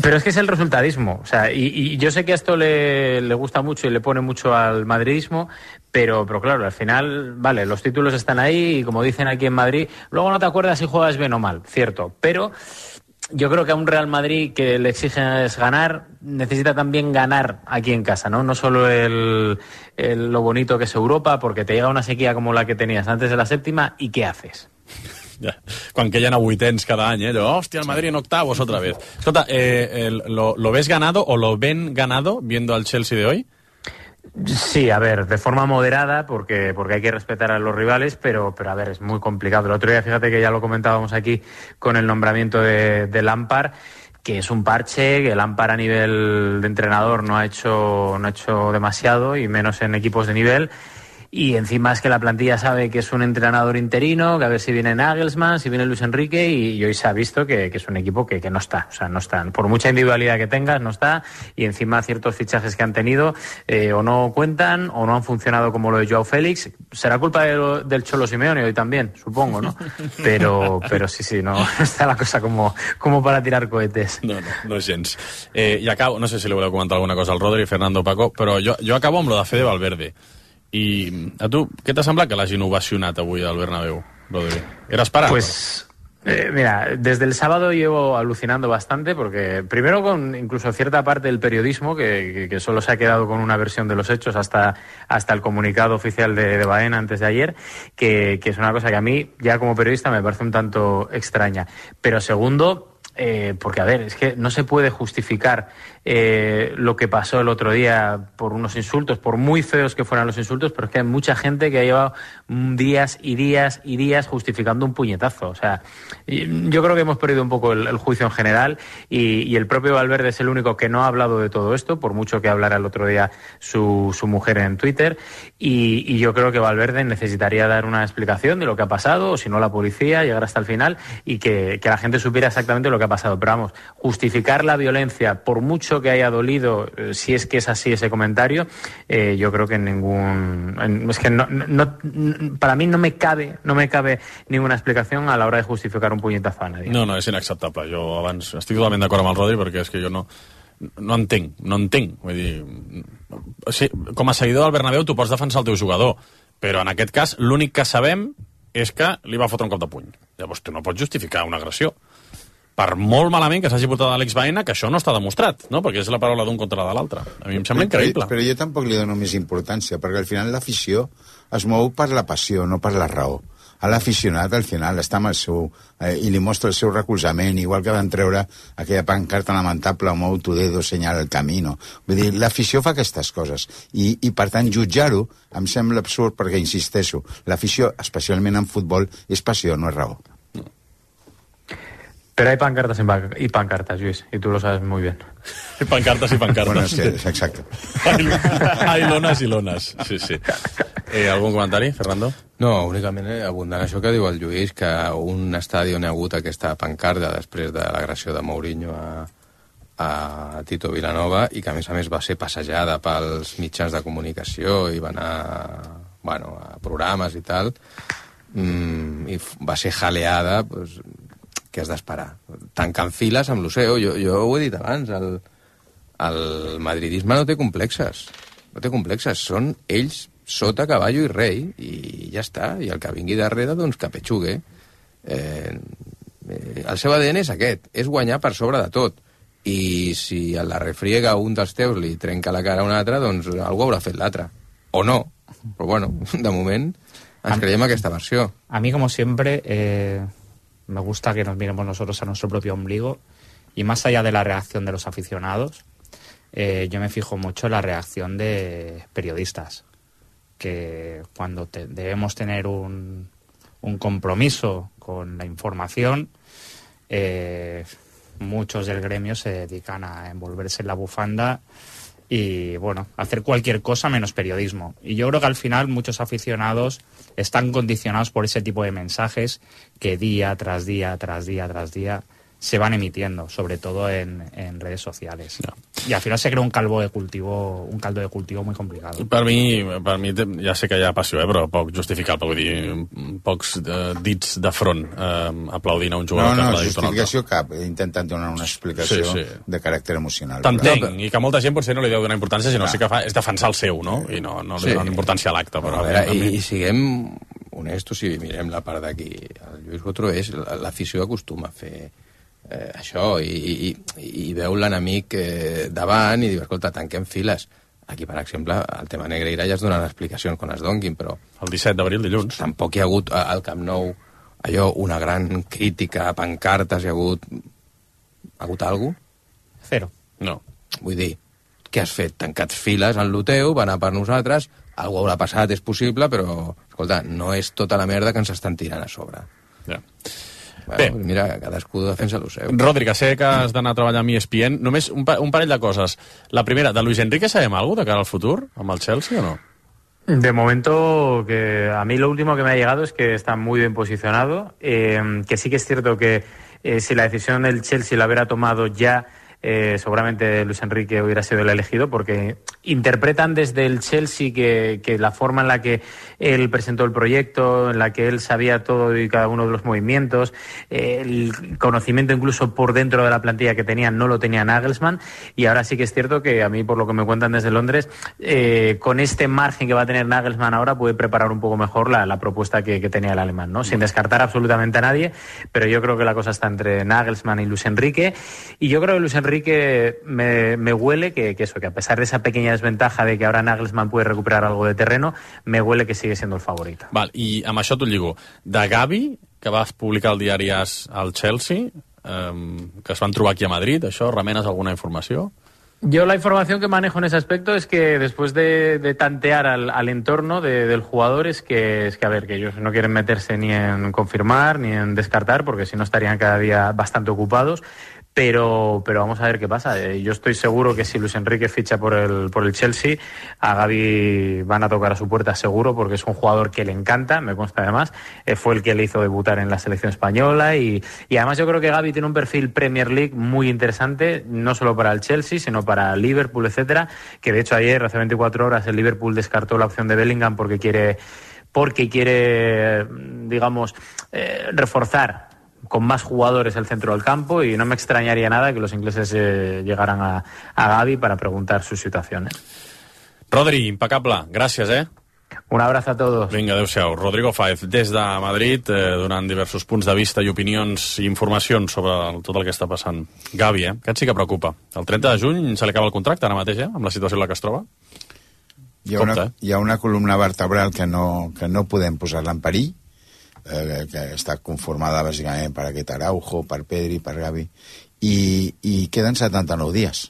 Pero es que es el resultadismo, o sea, y, y yo sé que a esto le, le gusta mucho y le pone mucho al madridismo, pero, pero claro, al final, vale, los títulos están ahí y como dicen aquí en Madrid, luego no te acuerdas si juegas bien o mal, cierto, pero yo creo que a un Real Madrid que le exige es ganar, necesita también ganar aquí en casa, ¿no? No solo el, el, lo bonito que es Europa, porque te llega una sequía como la que tenías antes de la séptima, ¿y qué haces? Ja. Quan queien a vuitens cada any, eh? Allò, hòstia, el Madrid en octavos otra vez. Escolta, eh, el, lo, ¿lo ves ganado o lo ven ganado viendo al Chelsea de hoy? Sí, a ver, de forma moderada, porque, porque hay que respetar a los rivales, pero, pero a ver, es muy complicado. El otro día, fíjate que ya lo comentábamos aquí con el nombramiento de, de Lampard, que es un parche, que Lampard a nivel de entrenador no ha hecho, no ha hecho demasiado, y menos en equipos de nivel. Y encima es que la plantilla sabe que es un entrenador interino, que a ver si viene Nagelsmann, si viene Luis Enrique, y, y hoy se ha visto que, que es un equipo que, que no está. O sea, no está. Por mucha individualidad que tengas, no está. Y encima ciertos fichajes que han tenido eh, o no cuentan o no han funcionado como lo de Joao Félix. Será culpa de lo, del Cholo Simeone hoy también, supongo, ¿no? Pero, pero sí, sí, no está la cosa como, como para tirar cohetes. No, no, no gens. Eh, I acabo, no sé si li voleu comentar alguna cosa al Rodri, Fernando, Paco, però jo, jo acabo amb lo de Fede Valverde. I a tu, què t'ha semblat que l'hagin ovacionat avui al Bernabéu, Rodri? ¿Era esperado? Pues, eh, mira, desde el sábado llevo alucinando bastante porque, primero con incluso cierta parte del periodismo que, que, que solo se ha quedado con una versión de los hechos hasta, hasta el comunicado oficial de, de Baena antes de ayer, que, que es una cosa que a mí, ya como periodista, me parece un tanto extraña. Pero segundo, Eh, porque, a ver, es que no se puede justificar eh, lo que pasó el otro día por unos insultos, por muy feos que fueran los insultos, pero es que hay mucha gente que ha llevado días y días y días justificando un puñetazo. O sea, yo creo que hemos perdido un poco el, el juicio en general y, y el propio Valverde es el único que no ha hablado de todo esto, por mucho que hablara el otro día su, su mujer en Twitter, y, y yo creo que Valverde necesitaría dar una explicación de lo que ha pasado, o si no la policía, llegar hasta el final y que, que la gente supiera exactamente lo que ha pasado. Pero vamos, justificar la violencia, por mucho que haya dolido, eh, si es que es así ese comentario, eh, yo creo que en ningún... En, es que no, no, no, para mí no me cabe no me cabe ninguna explicación a la hora de justificar un puñetazo a nadie. No, no, és inacceptable. Jo abans estic totalment d'acord amb el Rodri perquè és que jo no, no entenc, no entenc. Vull dir, o sigui, com a seguidor del Bernabéu tu pots defensar el teu jugador, però en aquest cas l'únic que sabem és que li va fotre un cop de puny. Llavors tu no pots justificar una agressió. per molt malament que s'hagi portat Àlex Baena, que això no està demostrat, no? Perquè és la paraula d'un contra de l'altre. A mi em sembla increïble. Però, però jo tampoc li dono més importància, perquè al final l'afició es mou per la passió, no per la raó. A l'aficionat, al final, està amb el seu... Eh, i li mostra el seu recolzament, igual que van treure aquella pancarta lamentable, mou tu dedo, senyala el camino. Vull dir, l'afició fa aquestes coses. I, i per tant, jutjar-ho em sembla absurd, perquè, insisteixo, l'afició, especialment en futbol, és passió, no és raó. Pero hay pancartas y pancartas, Luis, y tú lo sabes muy bien. Hay pancartas y pancartas. Bueno, es que, exacto. hay, hay lones i lones, sí, sí. Eh, algun comentari, Fernando? No, únicament eh, abundant això que diu el Lluís, que un estadi on hi ha hagut aquesta pancarta després de l'agressió de Mourinho a, a Tito Vilanova, i que a més a més va ser passejada pels mitjans de comunicació i va anar, bueno, a programes i tal, mm, i va ser jaleada, pues, què has d'esperar? Tancant files amb l'Oceo, jo, jo ho he dit abans, el, el madridisme no té complexes, no té complexes, són ells sota caballo i rei, i ja està, i el que vingui darrere, doncs que petxugue. Eh, eh, el seu A D N és aquest, és guanyar per sobre de tot, i si a la refriega un dels teus li trenca la cara a un altre, doncs algú haurà fet l'altre, o no, però bueno, de moment ens creiem aquesta versió. A mi, como siempre, eh... me gusta que nos miremos nosotros a nuestro propio ombligo, y más allá de la reacción de los aficionados, eh, yo me fijo mucho en la reacción de periodistas, que cuando te, debemos tener un, un compromiso con la información, eh, muchos del gremio se dedican a envolverse en la bufanda y, bueno, hacer cualquier cosa menos periodismo. Y yo creo que al final muchos aficionados están condicionados por ese tipo de mensajes que día tras día, tras día, tras día se van emitiendo, sobre todo en, en redes sociales. No. Y al final se crea un caldo de cultivo, un caldo de cultivo muy complicado. Per mi, per mi ja sé que hi ha passió, eh, però poc justificable, vull dir, pocs eh, dits de front eh, aplaudint a un jugador. No, no, justificació cap. He intentat donar una explicació sí, sí. de caràcter emocional. T'entenc, però... i que molta gent potser no li deu donar importància, sinó sí que fa és defensar el seu, no? I no, no li sí. donen importància a l'acte. Però, a veure, i, i siguem honestos i mirem la part d'aquí. El Lluís Botro és, l'afició acostuma a fer eh, això, i, i, i veu l'enemic eh, davant i diu, escolta, tanquem files. Aquí, per exemple, el tema Negreira ja es donen explicacions quan es donguin, però... El disset d'abril, dilluns. Tampoc hi ha hagut al Camp Nou allò, una gran crítica, pancartes, hi ha hagut... Ha hagut alguna cosa? Cero. No. Vull dir, què has fet? Tancats files en lo teu, va anar per nosaltres, algú haurà passat, és possible, però, escolta, no és tota la merda que ens estan tirant a sobre. Ja. Bueno, bé, mira, cadascú defensa el seu. Rodri, que sé que has d'anar a treballar amb E S P N. Només un, pa un parell de coses. La primera, de Luis Enrique sabem alguna cosa de cara al futur amb el Chelsea o no? De momento, que a mí lo último que me ha llegado es que está muy bien posicionado, eh, que sí que es cierto que eh, si la decisión del Chelsea la hubiera tomado ya, Eh, seguramente Luis Enrique hubiera sido el elegido, porque interpretan desde el Chelsea que, que la forma en la que él presentó el proyecto, en la que él sabía todo y cada uno de los movimientos, eh, el conocimiento incluso por dentro de la plantilla que tenían no lo tenía Nagelsmann, y ahora sí que es cierto que a mí, por lo que me cuentan desde Londres, eh, con este margen que va a tener Nagelsmann ahora puede preparar un poco mejor la, la propuesta que, que tenía el alemán, ¿no? Sin descartar absolutamente a nadie, pero yo creo que la cosa está entre Nagelsmann y Luis Enrique, y yo creo que Luis Enrique que me, me huele que, que eso, que a pesar de esa pequeña desventaja de que ahora Nagelsmann puede recuperar algo de terreno, me huele que sigue siendo el favorito. Val, i amb això t'ho lligo. De Gavi, que vas publicar al diari AS al Chelsea, eh, que es van trobar aquí a Madrid, això, remenes alguna informació? Yo la información que manejo en ese aspecto es que después de, de tantear al, al entorno de, del jugador es que, es que, a ver, que ellos no quieren meterse ni en confirmar ni en descartar, porque si no estarían cada día bastante ocupados. Pero, pero vamos a ver qué pasa. Eh, yo estoy seguro que si Luis Enrique ficha por el, por el Chelsea, a Gavi van a tocar a su puerta seguro, porque es un jugador que le encanta, me consta además. Eh, fue el que le hizo debutar en la selección española y, y además yo creo que Gavi tiene un perfil Premier League muy interesante, no solo para el Chelsea, sino para Liverpool, etcétera. Que de hecho ayer, hace veinticuatro horas, el Liverpool descartó la opción de Bellingham porque quiere, porque quiere, digamos, eh, reforzar con más jugadores el centro del campo, y no me extrañaría nada que los ingleses eh, llegaran a, a Gavi para preguntar su situación. ¿eh? Rodri, impecable. Gràcies, eh? Un abrazo a todos. Vinga, adéu-siau. Rodrigo Fáez, des de Madrid, eh, donant diversos punts de vista i opinions i informacions sobre el, tot el que està passant. Gavi, eh? Aquest sí que preocupa. El trenta de juny se li acaba el contracte ara mateix, eh? Amb la situació en la que es troba. Hi ha, una, hi ha una columna vertebral que no, que no podem posar-la en perill, eh, que està conformada bàsicament per aquest Araujo, per Pedri, per Gavi, i, i queden setanta-nou dies.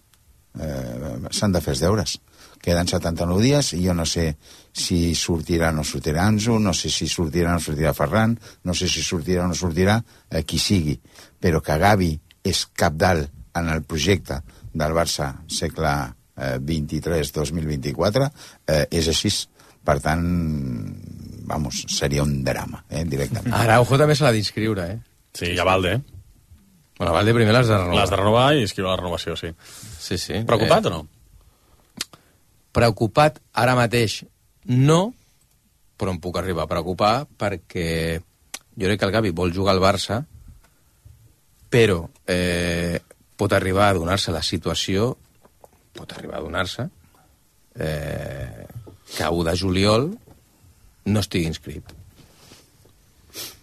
Eh, s'han de fer els deures. Queden setanta-nou dies i jo no sé si sortirà o no sortirà Ansu, no sé si sortirà o no sortirà Ferran, no sé si sortirà o no sortirà eh, qui sigui, però que Gavi és cabdal en el projecte del Barça segle eh, vint-i-tres dos mil vint-i-quatre, eh, és així. Per tant, vamos, seria un drama, eh, directament. Araujo també se l'ha d'inscriure, eh? Sí, i a Valde, eh? Bueno, a Valde primer l'has de renovar. L'has de renovar i inscriure la renovació, sí. Sí, sí. Preocupat eh... o no? Preocupat ara mateix no, però em puc arribar a preocupar perquè jo crec que el Gavi vol jugar al Barça, però eh, pot arribar a donar-se la situació, pot arribar a donar-se eh, que a u de juliol no estigui inscrit.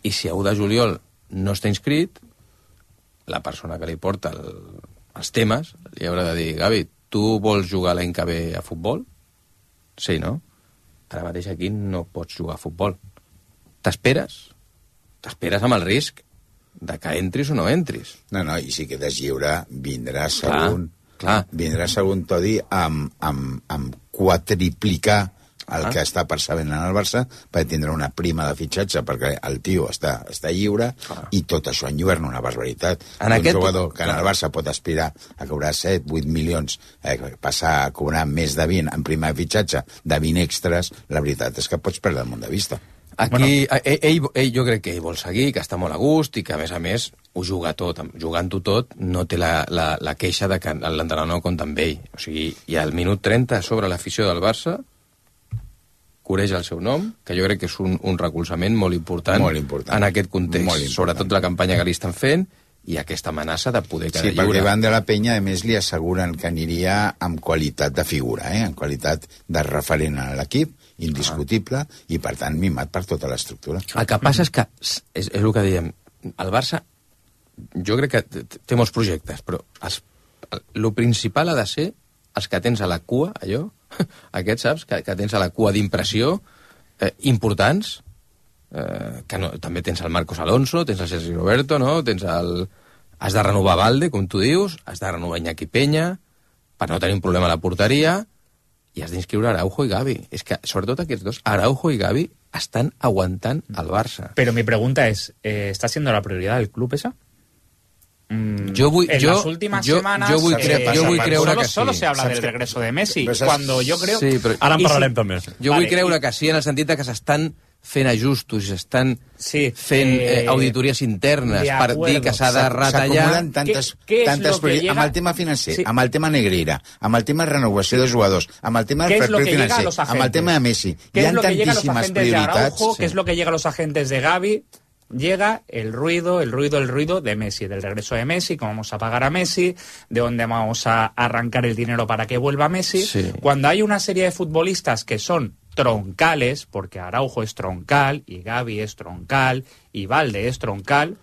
I si a u de juliol no està inscrit, la persona que li porta el, els temes li haurà de dir: Gavi, tu vols jugar l'any que ve a futbol? Sí, no? Ara mateix aquí no pots jugar a futbol. T'esperes? T'esperes amb el risc de que entris o no entris. No, no, i si quedes lliure, vindrà segon... Clar, clar. Vindrà segon Todi amb, amb, amb quadriplicar el ah. que està percebent en el Barça per tindre una prima de fitxatge, perquè el tio està, està lliure ah. i tot això enlluerna una barbaritat. En un aquest... jugador que en el Barça pot aspirar a cobrar set vuit milions, eh, passar a cobrar més de vint en prima de fitxatge, de vint extras, la veritat és que pots perdre el món de vista. Aquí, bueno. ell, ell, ell, jo crec que ell vol seguir, que està molt a gust i que, a més a més, ho juga tot. Jugant-ho tot, no té la, la, la queixa de que l'entrenador no compta amb ell. O sigui, i al minut trenta, sobre l'afició del Barça, coreix el seu nom, que jo crec que és un, un recolzament molt important, molt important en aquest context. Sobretot la campanya que li estan fent i aquesta amenaça de poder quedar sí, lliure. Sí, perquè Van de la Penya, a més, li asseguren que aniria amb qualitat de figura, eh? En qualitat de referent a l'equip, indiscutible, ah. i per tant mimat per tota l'estructura. El que passa és que, és, és el que dèiem, el Barça, jo crec que té molts projectes, però els, el principal ha de ser els que tens a la cua, allò, aquests, saps, que, que tens a la cua d'impressió, eh, importants, eh, que no, també tens el Marcos Alonso, tens el Sergi Roberto, no? Tens el... Has de renovar Valde, com tu dius, has de renovar Iñaki Peña, per no tenir un problema a la porteria, i has d'inscriure Araujo i Gavi. És que, sobretot aquests dos, Araujo i Gavi, estan aguantant el Barça. Pero mi pregunta es, eh, ¿está siendo la prioridad del club esa? Mm, yo voy, en yo, las últimas yo, semanas yo voy, cre eh, yo voy creure solo, que sí. solo se habla del regreso de Messi, cuando yo creo... Sí, però... Ara en parlarem si... també. Jo vale, vull creure i... que sí, en el sentit que s'estan fent ajustos, s'estan sí, fent eh, auditories internes per dir que s'ha de retallar. S'acumulen tantes, ¿Qué, qué tantes llega... amb el tema financer, sí. amb el tema Negreira, amb el tema renovació de jugadors, amb el tema del fair play financer, amb el tema de Messi. Hi ha tantíssimes prioritats. Araujo, sí. ¿Qué es lo que llega a los agentes de Gavi? Llega el ruido, el ruido, el ruido de Messi, del regreso de Messi, cómo vamos a pagar a Messi, de dónde vamos a arrancar el dinero para que vuelva Messi. Sí. Cuando hay una serie de futbolistas que son troncales, porque Araujo es troncal, y Gavi es troncal, y Valde es troncal,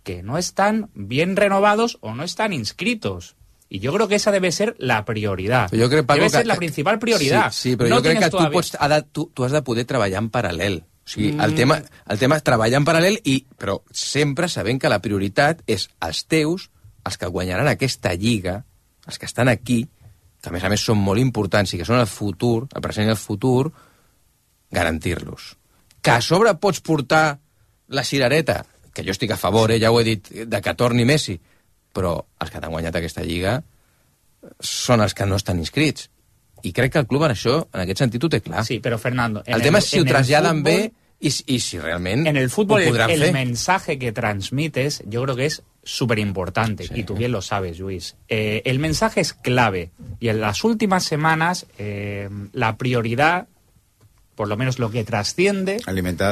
que no están bien renovados o no están inscritos. Y yo creo que esa debe ser la prioridad. Yo creo, Paco, debe ser que, la principal prioridad. Sí, sí però no jo crec que todavía... tu, pots, ha de, tu, tu has de poder treballar en paral·lel. O sigui, el, tema, el tema és treballar en paral·lel, i, però sempre sabent que la prioritat és els teus, els que guanyaran aquesta lliga, els que estan aquí, que a més a més són molt importants i que són el futur, el present i el futur, garantir-los. Que a sobre pots portar la cirereta, que jo estic a favor, eh, ja ho he dit, de que torni Messi, però els que t'han guanyat aquesta lliga són els que no estan inscrits. I crec que el club en això, en aquest sentit, ho té clar. Sí, però Fernando... El tema és si ho traslladen bé y, y si realmente en el fútbol el, el fe. mensaje que transmites yo creo que es súper importante, sí. Y tú bien lo sabes, Luis. Eh, el mensaje es clave y en las últimas semanas eh, la prioridad, por lo menos lo que trasciende,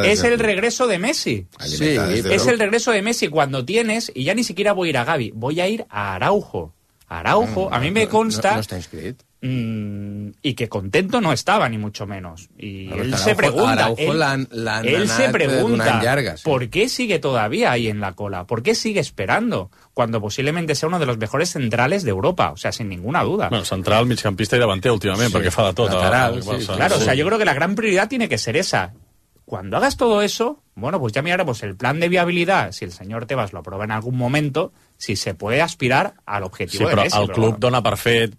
es el regreso de Messi. Sí, es el regreso de Messi cuando tienes, y ya ni siquiera voy a ir a Gavi, voy a ir a Araujo. Araujo, a mí me consta... No, no está inscrit. Mmm, y que contento no estaba, ni mucho menos. Y Pero él Araujo, se pregunta, Araujo él, l'han, l'han él se pregunta, llarga, sí. ¿por qué sigue todavía ahí en la cola? ¿Por qué sigue esperando? Cuando posiblemente sea uno de los mejores centrales de Europa, o sea, sin ninguna duda. Bueno, central, migcampista i davanter últimament, sí, perquè fa de tot. Lateral, a, a, sí, a, sí. Claro, sí. O sea, yo creo que la gran prioridad tiene que ser esa. Cuando hagas todo eso, bueno, pues ya miraremos el plan de viabilidad, si el señor Tebas lo aprueba en algún momento, si se puede aspirar al objetivo sí, de Messi. Sí, però el però club bueno. dona per fet,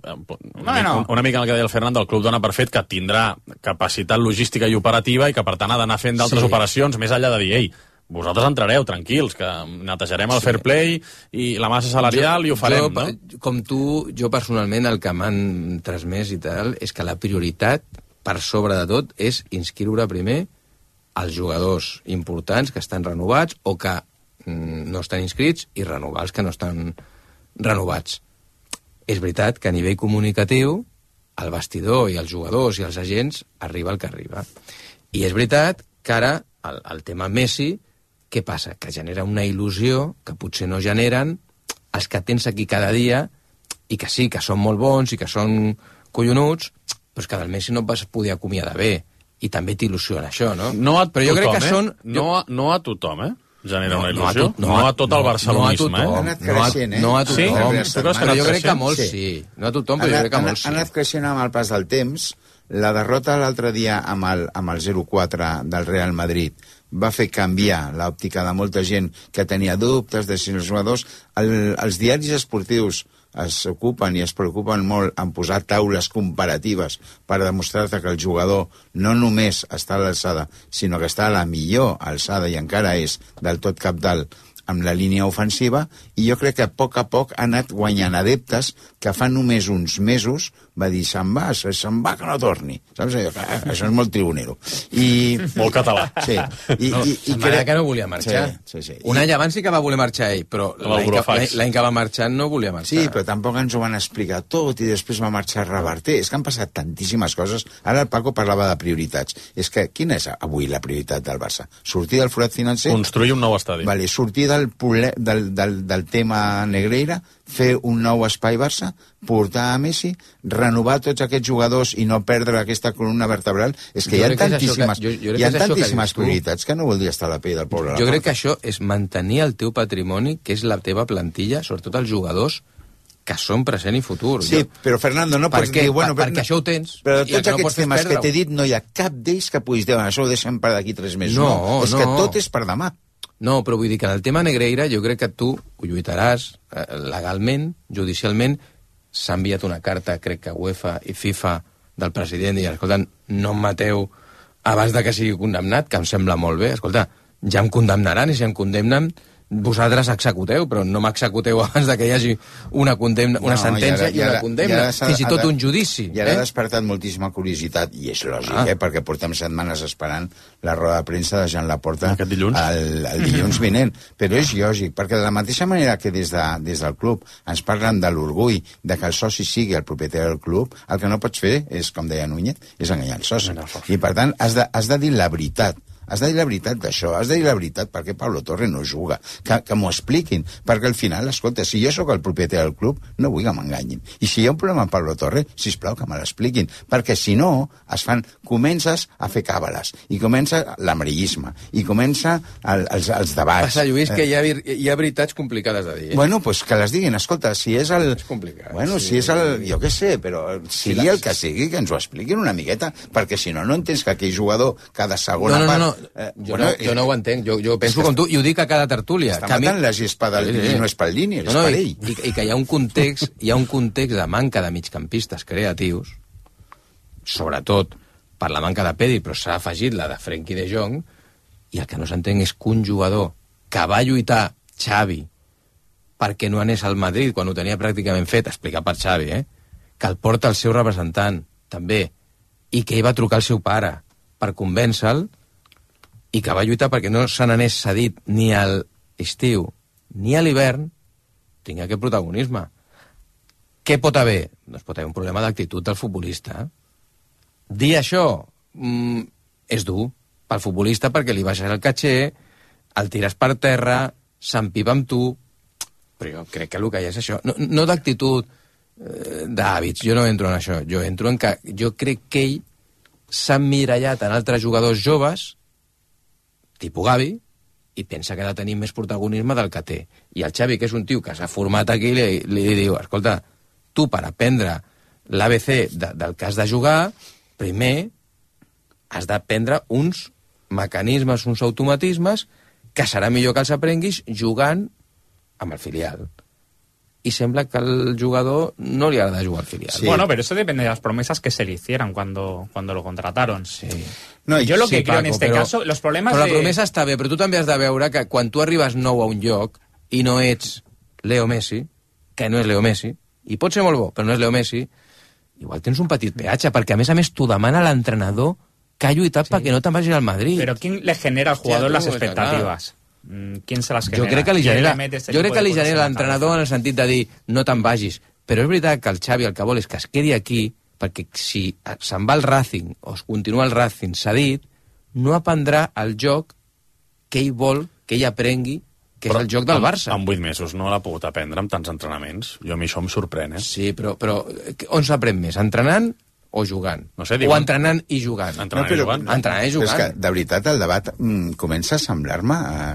una, no. una mica el que deia el Fernando, el club dona per fet que tindrà capacitat logística i operativa i que per tant ha d'anar fent d'altres Sí. operacions més enllà de dir, ei, vosaltres entrareu, tranquils, que netejarem el sí. fair play i la massa salarial jo, i ho farem, jo, no? Com tu, jo personalment el que m'han transmès i tal és que la prioritat, per sobre de tot, és inscriure primer els jugadors importants que estan renovats o que mm, no estan inscrits i renovar els que no estan renovats. És veritat que a nivell comunicatiu el vestidor i els jugadors i els agents arriba el que arriba. I és veritat que ara el, el tema Messi, què passa? Que genera una il·lusió que potser no generen els que tens aquí cada dia i que sí, que són molt bons i que són collonuts, però és que del Messi no et vas poder acomiadar bé. I també t'il·lusiona això, no? No a però jo tothom, crec que eh? són... No, a, no a tothom, eh? Genera No, una no a il·lusió. tot- No, no a- a tot el no- barcelonisme, no a tothom. eh? Ha anat creixent, eh? No a tothom. Sí? Tu creus que ha Però anat jo crec que creixent? molts Sí. sí. No a tothom, però Ha jo anat, crec que ha anat- molts ha sí. anat creixent amb el pas del temps. La derrota l'altre dia amb el, amb el zero quatre del Real Madrid va fer canviar l'òptica de molta gent que tenia dubtes de si els jugadors... El, els diaris esportius es ocupen i es preocupen molt en posar taules comparatives per demostrar-te que el jugador no només està a l'alçada, sinó que està a la millor alçada i encara és del tot capdalt amb la línia ofensiva, i jo crec que a poc a poc ha anat guanyant adeptes que fa només uns mesos va dir, se'n va, se'n va que no torni. Saps? Allò, que, això és molt tribunero. I, molt català. Sí. I, No, i, i se'n va anar que no volia marxar. Sí, sí, sí. Un any abans sí que va voler marxar ell, però l'any que, l'any que va marxar no volia marxar. Sí, però tampoc ens ho van explicar tot i després va marxar a reverter. És que han passat tantíssimes coses. Ara el Paco parlava de prioritats. És que quina és avui la prioritat del Barça? Sortir del forat financer? Construir un nou estadi. Vale, sortir del, del, del, del tema Negreira, fer un nou espai Barça, portar a Messi, renovar tots aquests jugadors i no perdre aquesta columna vertebral. És que Jo hi ha crec que és això tantíssimes, que- jo- jo crec hi ha que és això que tantíssimes dius tu. prioritats que no voldria estar a la pell del poble. Jo crec que això és mantenir el teu patrimoni, que és la teva plantilla, sobretot els jugadors que són present i futur. Sí, Jo- però Fernando, no Per pots què? dir... Bueno, Per- perquè això ho tens, Però i de el tots que no pots aquests fer és temes que perdre-ho. t'he dit, no hi ha cap d'ells que puguis dir, bueno, això ho deixem per d'aquí tres mesos. No, és no. que tot és per demà. No, però vull dir que en el tema Negreira jo crec que tu ho lluitaràs eh, legalment, judicialment. S'ha enviat una carta, crec que UEFA i FIFA, del president, i escolta, no em mateu abans de que sigui condemnat, que em sembla molt bé. Escolta, ja em condemnaran, i si em condemnen, vosaltres executeu, però no m'executeu abans de que hi hagi una, condemna, una No, sentència i, i ara- una condemna, i ara s'ha- fins i tot ha de- un judici. I ara ha eh? despertat moltíssima curiositat, i és lògic, Ah. eh, perquè portem setmanes esperant la roda de premsa de Jean Laporta Aquest dilluns. el, el dilluns vinent. Però és lògic, perquè de la mateixa manera que des, de, des del club ens parlen de l'orgull de que el soci sigui el propietari del club, el que no pots fer és, com deia Núñez, és enganyar el soci. I per tant has de, has de dir la veritat. Has de dir la veritat d'això, has de dir la veritat perquè Pablo Torre no juga, que, que m'ho expliquin, perquè al final, escolta, si jo sóc el propietari del club, no vull que m'enganyin. I si hi ha un problema amb Pablo Torre, sisplau que me l'expliquin, perquè si no, es fan, comences a fer càbales, i comença l'amarillisme, i comença el, els, els debats. Passa, Lluís, que hi ha, vir- hi ha veritats complicades de dir. Eh? Bueno, pues que les diguin, escolta, si és el... És complicat. Bueno, sí. si és el... Jo què sé, però sigui la- el que sigui, que ens ho expliquin una miqueta, perquè si no, no entens que aquell jugador cada segona No, no, no, part... no. Eh, Jo, bueno, no, jo no ho entenc, jo, jo penso com tu, i ho dic a cada tertúlia. Està que a mi- matant la gespa del Sí, sí. i no és pel Lini, és No, no, per i, ell. i, i que hi ha un context, hi ha un context de manca de migcampistes creatius, sobretot per la manca de Pedri, però s'ha afegit la de Frenkie de Jong, i el que no s'entén és que un jugador que va lluitar Xavi perquè no anés al Madrid quan ho tenia pràcticament fet, explicat per Xavi, eh? Que el porta el seu representant, també, i que ell va trucar al seu pare per convèncer-lo, i que va lluitar perquè no se n'anés cedit ni a l'estiu ni a l'hivern, tingui aquest protagonisme. Què pot haver? Doncs pot haver un problema d'actitud del futbolista. Dir això mm, és dur pel futbolista perquè li baixes el caché, el tires per terra, s'empipa amb tu, però jo crec que el que hi ha és això. No, no d'actitud, eh, d'hàbits, jo no entro en això. Jo entro en que jo crec que ell s'ha emmirallat en altres jugadors joves, tipus Gavi, i pensa que ha de tenir més protagonisme del que té. I el Xavi, que és un tio que s'ha format aquí, li, li diu, escolta, tu per aprendre l'A B C de, del que has de jugar, primer has d'aprendre uns mecanismes, uns automatismes, que serà millor que els aprenguis jugant amb el filial. Y sembla que al jugador no le agrada jugar al filial. Sí. Bueno, pero eso depende de las promesas que se le hicieran cuando, cuando lo contrataron. Sí. No, yo lo sí, que creo Paco, en este però, caso, los problemas però de... la promesa està bé, però tu també has de veure que quan tu arribes nou a un lloc i no ets Leo Messi, que no és Leo Messi, i pot ser molt bo, però no és Leo Messi, igual tens un petit peatge, perquè a més a més t'ho demana l'entrenador que ha lluitat sí. perquè no te'n vagis al Madrid. Pero ¿quién le genera al jugador sí, las expectativas? ¿Quién se las genera? Jo crec que li genera, jo crec que li genera l'entrenador en el sentit de dir no te'n vagis, però és veritat que el Xavi el que vol és que es quedi aquí perquè si se'n va al Racing o es continua el Racing cedit, no aprendrà el joc que ell vol que ell aprengui, que però és el joc del Barça. En vuit mesos no l'ha pogut aprendre amb tants entrenaments. Jo a mi això em sorprèn, eh? Sí, però, però on s'aprèn més? Entrenant o jugant? No sé, diuen... O entrenant i jugant? Entrenant no, però, i jugant. Entrenant i jugant. Però és que, de veritat, el debat mm, comença a semblar-me eh,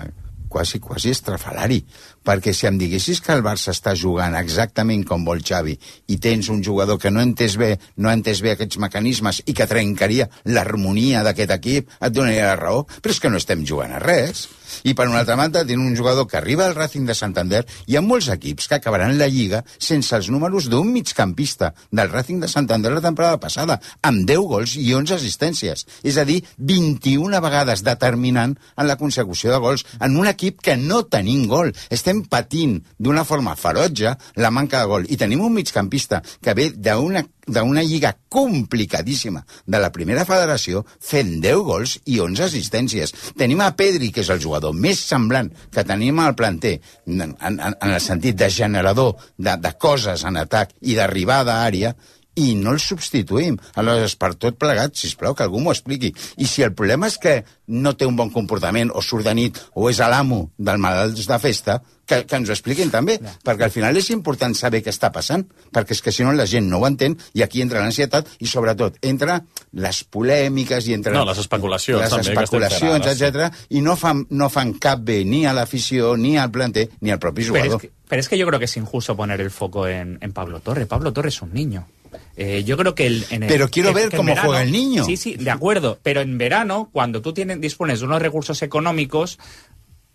quasi, quasi estrafalari, perquè si em diguessis que el Barça està jugant exactament com vol Xavi i tens un jugador que no ha entès bé, no ha entès bé aquests mecanismes i que trencaria l'harmonia d'aquest equip, et donaria la raó, però és que no estem jugant a res. I per una altra banda tenen un jugador que arriba al Racing de Santander i hi ha molts equips que acabaran la Lliga sense els números d'un migcampista del Racing de Santander la temporada passada, amb deu gols i onze assistències. És a dir, vint-i-una vegades determinant en la consecució de gols en un equip que no tenim gol. Estem patint d'una forma ferotge la manca de gol. I tenim un migcampista que ve d'una d'una lliga complicadíssima de la primera federació fent deu gols i onze assistències. Tenim a Pedri, que és el jugador més semblant que tenim al planter en, en, en el sentit de generador de, de coses en atac i d'arribada a àrea, i no el substituïm. Aleshores, per tot plegat, sisplau, que algú m'ho expliqui. I si el problema és que no té un bon comportament, o surt de nit, o és l'amo del malalts de festa, que, que ens ho expliquin també, ja. Perquè al final és important saber què està passant, perquè és que si no la gent no ho entén, i aquí entra l'ansietat, i sobretot entra les polèmiques, i entra... No, les especulacions, les també, especulacions, que etcètera, i no fan, no fan cap bé ni a l'afició, ni al planter, ni al propi jugador. Pero es, que, pero es que yo creo que es injusto poner el foco en, en Pablo Torre. Pablo Torre es un niño. Eh, yo creo que el, en el, pero quiero que, ver que cómo verano, juega el niño. Sí, sí, de acuerdo. Pero en verano, cuando tú tienes, dispones de unos recursos económicos,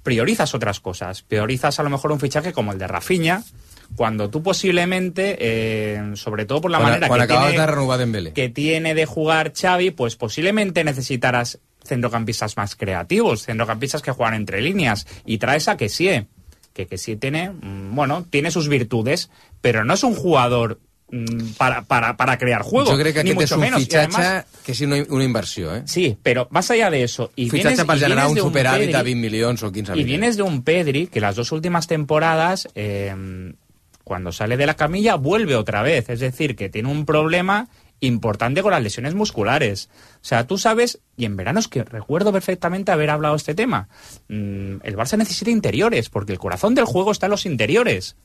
priorizas otras cosas. Priorizas a lo mejor un fichaje como el de Rafinha, cuando tú posiblemente, eh, sobre todo por la cuando, manera cuando que tiene, de renovar Dembélé. que tiene de jugar Xavi, pues posiblemente necesitarás centrocampistas más creativos, centrocampistas que juegan entre líneas, y traes a Kessie, que Kessie tiene, bueno, tiene sus virtudes, pero no es un jugador Para, para, para crear juego. Yo creo que ni aquest mucho és un menos. fitxatge Además, que és una, una inversió, eh? Sí, pero más allá de eso... Y fitxatge vienes, per y generar un de superàvit Pedri, a vint milions o quinze y milions. vienes de un Pedri que las dos últimas temporadas, eh, cuando sale de la camilla, vuelve otra vez. Es decir, que tiene un problema importante con las lesiones musculares. O sea, tú sabes, y en verano es que recuerdo perfectamente haber hablado de este tema, mmm, el Barça necesita interiores, porque el corazón del juego está en los interiores.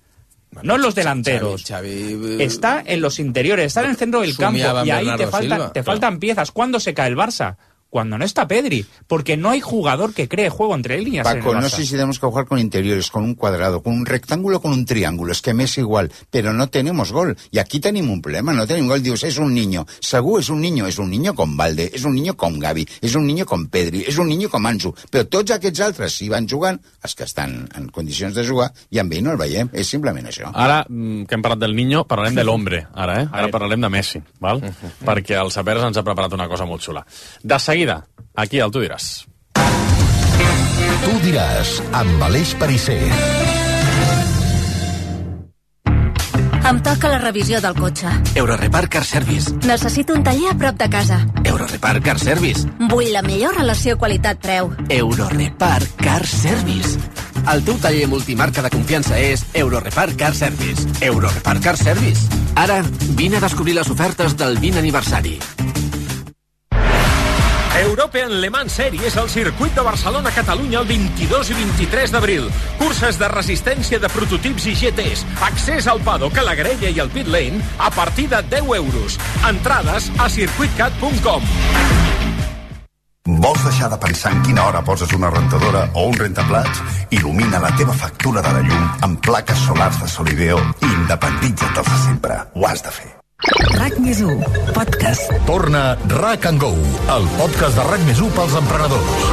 Bueno, no en los delanteros. Xavi, Xavi, está en los interiores, está en el centro del campo, y ahí te faltan, te faltan piezas. ¿Cuándo se cae el Barça? Cuando no está Pedri, porque no hay jugador que cree juego entre líneas. Paco, no sé si tenemos que jugar con interiores, con un cuadrado, con un rectángulo, con un triángulo, es que me es igual, pero no tenemos gol. Y aquí tenemos un problema, no tenemos gol. Dius, es un niño. Segur és un niño, és un niño com Valde, és un niño com Gavi, és un niño com Pedri, és un niño com Ansu. Però tots aquests altres, si van jugant, els que estan en condicions de jugar, i amb ell no el veiem. És simplement això. Ara, que hem parlat del niño, parlarem de l'hombre, ara, eh? Ara parlarem de Messi, val? Uh-huh. Perquè el Saperes ens ha preparat una cosa molt xula. De seguida, aquí al Tu diràs. Tu diràs, amb Aleix Perisser. Em toca la revisió del cotxe. Eurorepar Car Service. Necessito un taller a prop de casa. Eurorepar Car Service. Vull la millor relació qualitat-preu. Eurorepar Car Service. El teu taller multimarca de confiança és Eurorepar Car Service. Eurorepar Car Service. Ara, vine a descobrir les ofertes del vint aniversari. European Le Mans Series al circuit de Barcelona-Catalunya el vint-i-dos i vint-i-tres d'abril. Curses de resistència de prototips i G Ts. Accés al paddock, a la grella i al pit lane a partir de deu euros. Entrades a circuitcat punt com. Vols deixar de pensar en quina hora poses una rentadora o un rentaplats? Il·lumina la teva factura de la llum amb plaques solars de Solideo i independitza't de sempre. Ho has de fer. RAC més u, podcast. Torna RAC and Go, el podcast de RAC més u pels emprenedors.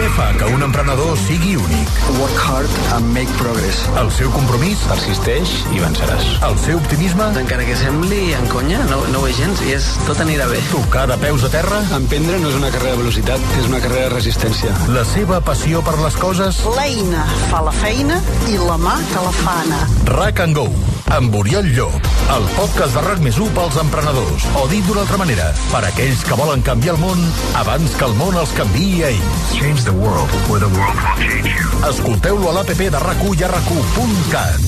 Què fa que un emprenedor sigui únic? Work hard and make progress. El seu compromís? Persisteix i venceràs. El seu optimisme? Encara que sembli en conya, no, no ho és gens i és, tot anirà bé. Tocar de peus a terra? Emprendre no és una carrera de velocitat, és una carrera de resistència. La seva passió per les coses? L'eina fa la feina i la mà que la fa anar. RAC and Go, amb Oriol Llop, el podcast de RAC més u pels emprenedors. O dit d'una altra manera, per aquells que volen canviar el món abans que el món els canviï a ells. Change the world, or the world will change you. Escolteu-lo a l'app de RAC u i a rac u punt cat.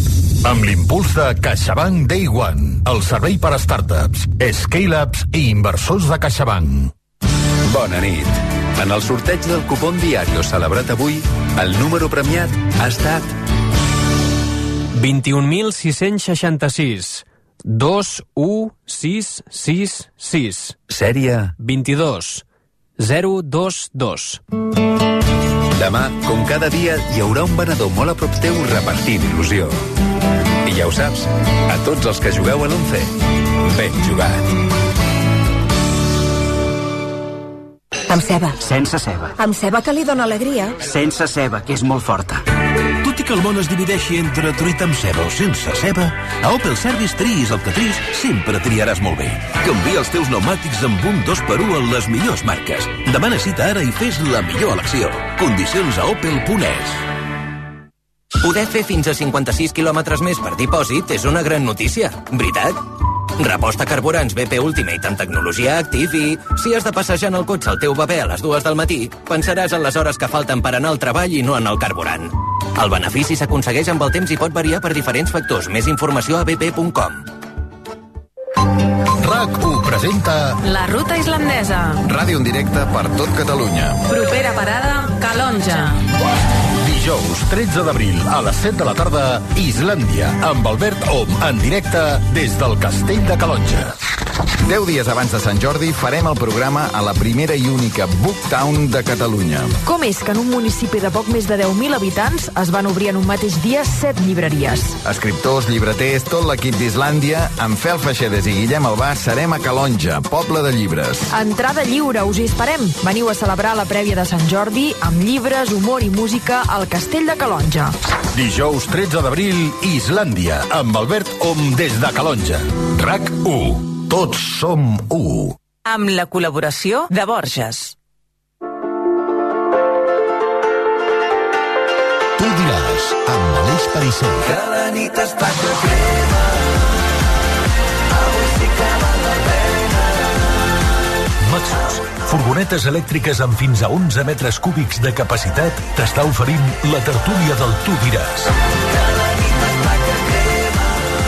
Amb l'impuls de CaixaBank Day One, el servei per a startups, scale-ups i inversors de CaixaBank. Bona nit. En el sorteig del cupón Diario celebrat avui, el número premiat ha estat vint-i-un mil sis-cents seixanta-sis, dos u sis sis sis. Sèrie vint-i-dos, zero dos dos. Demà, com cada dia, hi haurà un venedor molt a prop teu repartint il·lusió. I ja ho saps, a tots els que jugueu a l'Once, ben jugat. Amb ceba. Sense ceba. Amb ceba que li dona alegria. Sense ceba, que és molt forta. Tot i que el món es divideixi entre truita amb ceba o sense ceba, a Opel Service triïs el que triïs, sempre triaràs molt bé. Canvia els teus pneumàtics amb un dos per u en les millors marques. Demana cita ara i fes la millor elecció. Condicions a opel punt es. Poder fer fins a cinquanta-sis quilòmetres més per dipòsit és una gran notícia, veritat? Reposta carburants B P Ultimate amb tecnologia Active i, si has de passejar en el cotxe al teu bebè a les dues del matí, pensaràs en les hores que falten per anar al treball i no en el carburant. El benefici s'aconsegueix amb el temps i pot variar per diferents factors. Més informació a b p punt com. RAC u presenta La ruta islandesa. Ràdio en directe per tot Catalunya. Propera parada, Calonja. Dijous tretze d'abril a les set de la tarda, Islàndia, amb Albert Om en directe des del Castell de Calonja. Deu dies abans de Sant Jordi farem el programa a la primera i única Booktown de Catalunya. Com és que en un municipi de poc més de deu mil habitants es van obrir en un mateix dia set llibreries? Escriptors, llibreters, tot l'equip d'Islàndia, amb Fel Feixedes i Guillem Albà, serem a Calonja, poble de llibres. Entrada lliure, us hi esperem. Veniu a celebrar la prèvia de Sant Jordi amb llibres, humor i música al Castell de Calonja. Dijous tretze d'abril, Islàndia, amb Albert Om des de Calonja. RAC u. Tots som u. Amb la col·laboració de Borges. Tu diràs, amb Aleix Parisser. Que la nit està que crema, avui sí que val la pena. Maxus, furgonetes elèctriques amb fins a onze metres cúbics de capacitat, t'està oferint la tertúlia del Tu diràs.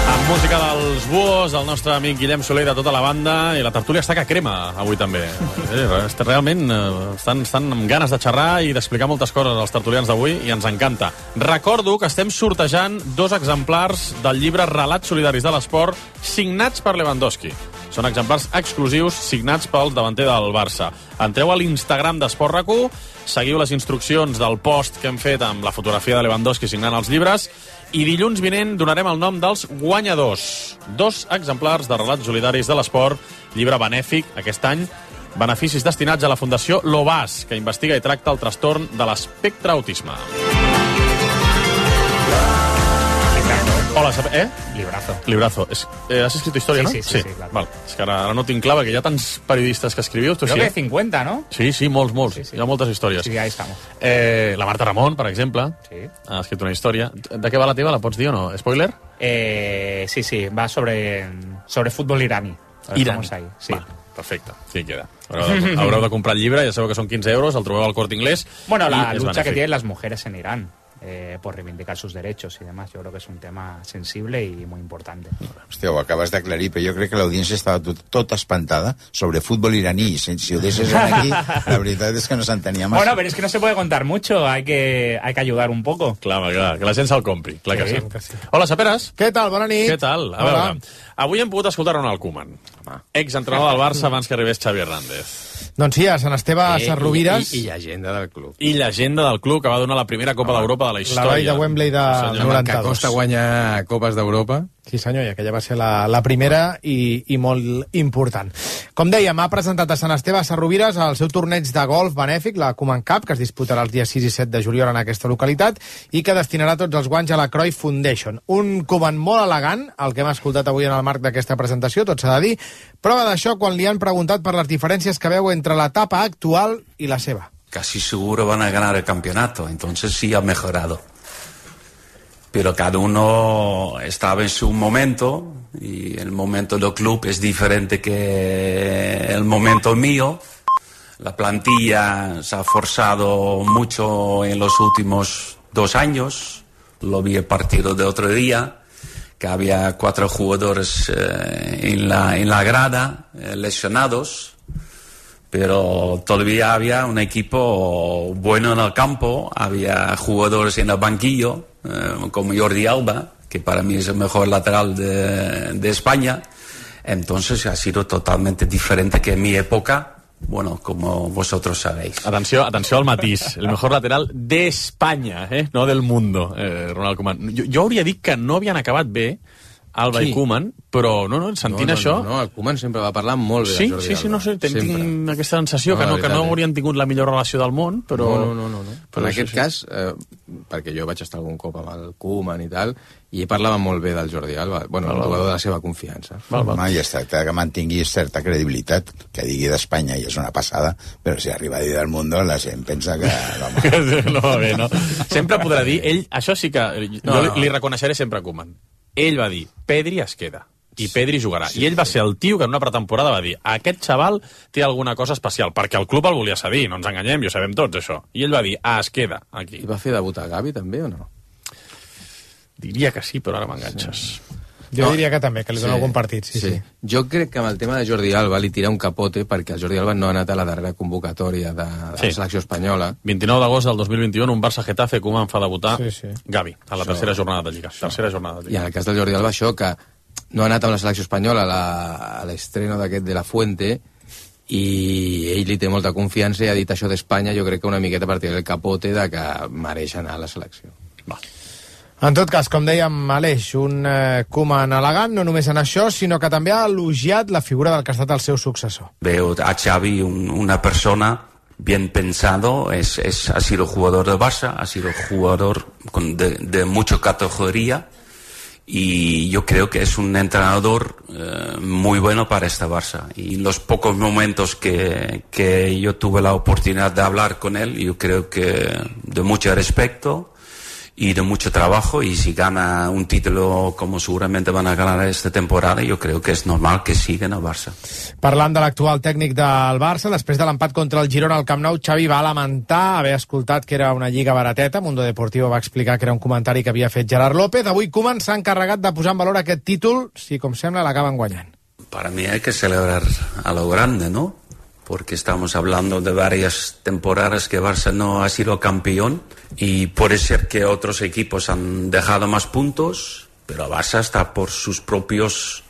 Amb música dels Buos, el nostre amic Guillem Soler de tota la banda, i la tertúlia està que crema avui també. Eh, realment eh, estan, estan amb ganes de xerrar i d'explicar moltes coses als tertulians d'avui i ens encanta. Recordo que estem sortejant dos exemplars del llibre Relats solidaris de l'esport signats per Lewandowski. Són exemplars exclusius signats pel davanter del Barça. Entreu a l'Instagram d'Esport RAC u, seguiu les instruccions del post que hem fet amb la fotografia de Lewandowski signant els llibres i dilluns vinent donarem el nom dels guanyadors. Dos exemplars de Relats solidaris de l'esport, llibre benèfic aquest any, beneficis destinats a la Fundació Lobas, que investiga i tracta el trastorn de l'espectre autisme. Hola, eh? Librazo. Librazo. Es, eh, has escrit història, sí, no? Sí, sí, sí, sí, claro. Val. És que ara, ara no tinc clar, perquè hi ha tants periodistes que escriviu. Tu Creo sí, que eh? cincuenta, ¿no? Sí, sí, molts, molts. Sí, sí. Hi ha moltes històries. Sí, ahí estamos. Eh, la Marta Ramon, per exemple, sí. ha escrit una història. De què va la teva? La pots dir o no? Spoiler? Eh, sí, sí, va sobre, sobre fútbol iraní. Iraní. Ahí, sí. Va, perfecte. Sí, queda. Haureu de, haureu de comprar el llibre, ja sabeu que són quinze euros, el trobeu al Corte Inglés. Bueno, la lucha que tienen las mujeres en Irán. eh, por reivindicar sus derechos y demás. Yo creo que es un tema sensible y muy importante. Hòstia, ho acabes d'aclarir, però jo crec que l'audiència estava tot, tot espantada sobre futbol iraní. Si, si ho deixes aquí, la veritat és que no s'entenia massa. Bueno, pero es que no se puede contar mucho, hay que, hay que ayudar un poco. Clar, clar, que la gent se'l compri, clar que sí. que sí. Hola, Saperes. Què tal? Bona nit. Què tal? A Hola. veure, avui hem pogut escoltar Ronald Koeman, exentrenador del Barça abans que arribés Xavi Hernández. Doncs sí, a Sant Esteve a Eh, Sarrovires. I, i, I llegenda del club. I llegenda del club que va donar la primera Copa d'Europa de la història. La vall de Wembley de Sí, senyor. noranta-dos. Que costa guanyar Copes d'Europa. Sí, senyor, i aquella va ser la, la primera i, i molt important. Com dèiem, ha presentat a Sant Esteve a Sarrovires el seu torneig de golf benèfic, la Koeman Cup, que es disputarà els dies sis i set de juliol en aquesta localitat i que destinarà tots els guanys a la Cruyff Foundation. Un Koeman molt elegant, el que hem escoltat avui en el marc d'aquesta presentació, tot s'ha de dir. Prova d'això quan li han preguntat per les diferències que veu entre l'etapa actual i la seva. Casi seguro van a ganar el campeonato, entonces sí ha mejorado. Pero cada uno estaba en su momento y el momento del club es diferente que el momento mío. La plantilla se ha forzado mucho en los últimos dos años. Lo vi el partido de otro día, que había cuatro jugadores eh, en, la, en la grada, eh, lesionados. Pero todavía había un equipo bueno en el campo, había jugadores en el banquillo, eh, como Jordi Alba, que para mí es el mejor lateral de, de España. Entonces ha sido totalmente diferente que en mi época, bueno, como vosotros sabéis. Atenció, atenció al matís. El mejor lateral de España, eh? No del mundo, eh, Ronald Koeman. Jo, jo hauria dit que no havien acabat bé Alba Sí. i Koeman, però no, no, sentint no, no, això... No, no, el Koeman sempre va parlar molt bé sí, de Jordi sí, sí, Alba. no sé, tinc, tinc aquesta sensació No, que la no, que veritat, no eh? haurien tingut la millor relació del món, però... No, no, no, no. Però en sí, aquest sí. cas, eh, perquè jo vaig estar algun cop amb el Koeman i tal, i ell parlava molt bé del Jordi Alba, bueno, el jugador de la seva confiança. Home, i es tracta que mantingui certa credibilitat, que digui d'Espanya i és una passada, però si arriba a dir del món, la gent pensa que... no va bé, no? Sempre podrà dir, ell, això sí que... Jo No, li, no. li reconeixeré sempre a Koeman. Ell va dir, Pedri es queda. I Pedri jugarà. Sí, I ell va ser el tio que en una pretemporada va dir aquest xaval té alguna cosa especial, perquè el club el volia cedir, no ens enganyem, i ho sabem tots, això. I ell va dir, ah, es queda aquí. I va fer debut a Gavi, també, o no? Diria que sí, però ara m'enganxes. Sí. Jo no, diria que també, que li dona sí, algun partit. Sí, sí. sí. Jo crec que amb el tema de Jordi Alba li tira un capote perquè el Jordi Alba no ha anat a la darrera convocatòria de, de sí. la selecció espanyola. vint-i-nou d'agost del dos mil vint-i-u, un Barça-Getafe, Koeman fa debutar Sí, sí. Gavi, a la Això- tercera jornada de Lliga. Tercera jornada de I Lliga. en el cas del Jordi Alba, això, que no ha anat amb la selecció espanyola a la- a l'estreno d'aquest de la Fuente, i ell li té molta confiança i ha dit això d'Espanya, jo crec que una miqueta a partir del capote de que mereix anar a la selecció. Va. En tot cas, com dèiem, Aleix, un eh, Koeman elegant, no només en això, sinó que també ha elogiat la figura del que ha estat el seu successor. Veo a Xavi un- una persona bien pensado, es, es, ha sido jugador de Barça, ha sido jugador con de, de mucha categoría y yo creo que es un entrenador eh, muy bueno para esta Barça. Y los pocos momentos que, que yo tuve la oportunidad de hablar con él, yo creo que de mucho respeto y de mucho trabajo, y si gana un título como seguramente van a ganar esta temporada, yo creo que es normal que sigan al Barça. Parlant de l'actual tècnic del Barça, després de l'empat contra el Girona al Camp Nou, Xavi va lamentar haver escoltat que era una lliga barateta. Mundo Deportivo va explicar que era un comentari que havia fet Gerard López. Avui Koeman s'ha encarregat de posar en valor aquest títol, si com sembla l'acaben guanyant. Para mí hay que celebrar a lo grande, ¿no? Porque estamos hablando de varias temporadas que Barça no ha sido campeón y puede ser que otros equipos han dejado más puntos, pero Barça está por sus propios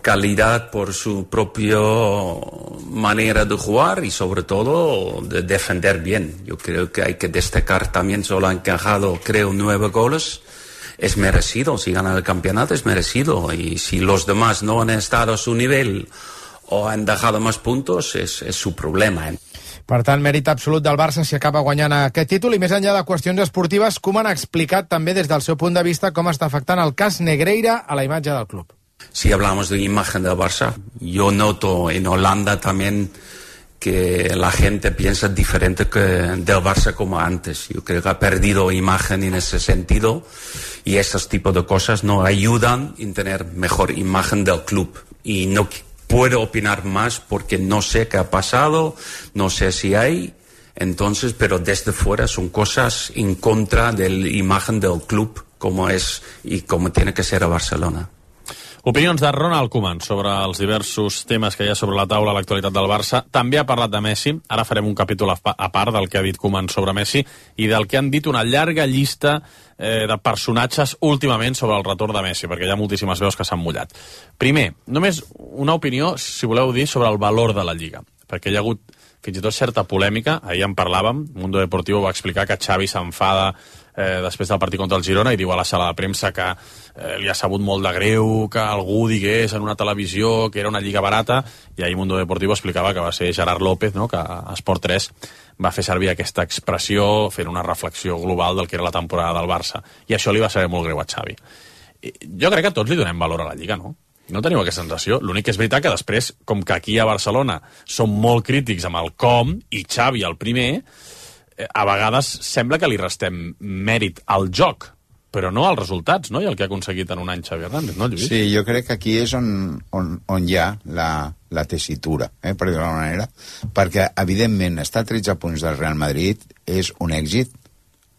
calidad, por su propio manera de jugar y sobre todo de defender bien. Yo creo que hay que destacar también, solo ha encajado creo nueve goles. Es merecido, si gana el campeonato es merecido, y si los demás no han estado a su nivel o han dejado más puntos, es, es su problema. ¿eh? Per tant, mèrit absolut del Barça si acaba guanyant aquest títol, i més enllà de qüestions esportives, Koeman ha explicat també des del seu punt de vista com està afectant el cas Negreira a la imatge del club. Si hablamos de imagen del Barça, yo noto en Holanda también que la gente piensa diferente que del Barça como antes. Yo creo que ha perdido imagen en ese sentido, y esos tipos de cosas no ayudan en tener mejor imagen del club. Y no puedo opinar más porque no sé qué ha pasado, no sé si hay. Entonces, pero desde fuera son cosas en contra de la imagen del club como es y como tiene que ser a Barcelona. Opinions de Ronald Koeman sobre els diversos temes que hi ha sobre la taula a l'actualitat del Barça. També ha parlat de Messi. Ara farem un capítol a part del que ha dit Koeman sobre Messi i del que han dit una llarga llista eh, de personatges últimament sobre el retorn de Messi, perquè hi ha moltíssimes veus que s'han mullat. Primer, només una opinió, si voleu dir, sobre el valor de la Lliga, perquè hi ha hagut fins i tot certa polèmica. Ahir en parlàvem, Mundo Deportivo va explicar que Xavi s'enfada eh, després del partit contra el Girona i diu a la sala de premsa que eh, li ha sabut molt de greu que algú digués en una televisió que era una lliga barata, i ahir Mundo Deportivo explicava que va ser Gerard López, no?, que a Esport tres va fer servir aquesta expressió fent una reflexió global del que era la temporada del Barça, i això li va saber molt greu a Xavi. Jo crec que tots li donem valor a la Lliga, no? No teniu aquesta sensació? L'únic que és veritat que després, com que aquí a Barcelona som molt crítics amb el com, i Xavi el primer, a vegades sembla que li restem mèrit al joc, però no als resultats, no? I el que ha aconseguit en un any Xavi Hernández, no, Lluís? Sí, jo crec que aquí és on, on, on hi ha la, la tessitura, eh, per dir-ho d'alguna manera, perquè, evidentment, estar a tretze punts del Real Madrid és un èxit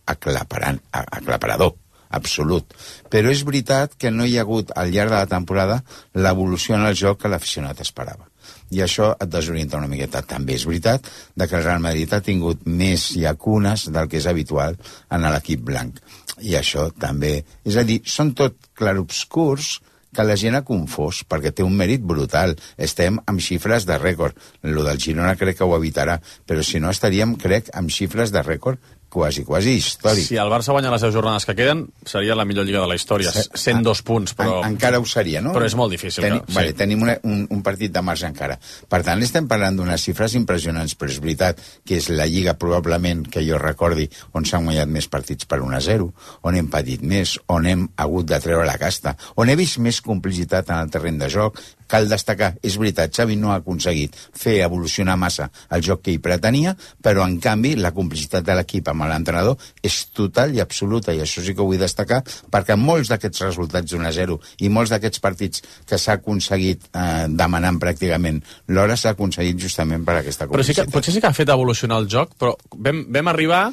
aclaparant, aclaparador, absolut. Però és veritat que no hi ha hagut al llarg de la temporada l'evolució en el joc que l'aficionat esperava. I això et desorienta una miqueta. També és veritat de que el Real Madrid ha tingut més llacunes del que és habitual en l'equip blanc. I això també... És a dir, són tot clarobscurs que la gent ha confós, perquè té un mèrit brutal. Estem amb xifres de rècord. Lo del Girona crec que ho evitarà, però si no estaríem, crec, amb xifres de rècord quasi, quasi històric. Si el Barça guanya les deu jornades que queden, seria la millor lliga de la història. cent dos punts, però... En, encara ho seria, no? Però és molt difícil. Teni, que... vale, sí. Tenim una, un, un partit de marge encara. Per tant, estem parlant d'unes xifres impressionants, però és veritat que és la lliga probablement que jo recordi on s'han guanyat més partits per un a zero, on hem patit més, on hem hagut de treure la casta, on he vist més complicitat en el terreny de joc. Cal destacar, és veritat, Xavi no ha aconseguit fer evolucionar massa el joc que hi pretenia, però en canvi la complicitat de l'equip amb l'entrenador és total i absoluta, i això sí que ho vull destacar, perquè molts d'aquests resultats d'un a zero i molts d'aquests partits que s'ha aconseguit eh, demanant pràcticament l'hora s'ha aconseguit justament per aquesta complicitat. Però sí que, potser sí que ha fet evolucionar el joc, però vam, vam arribar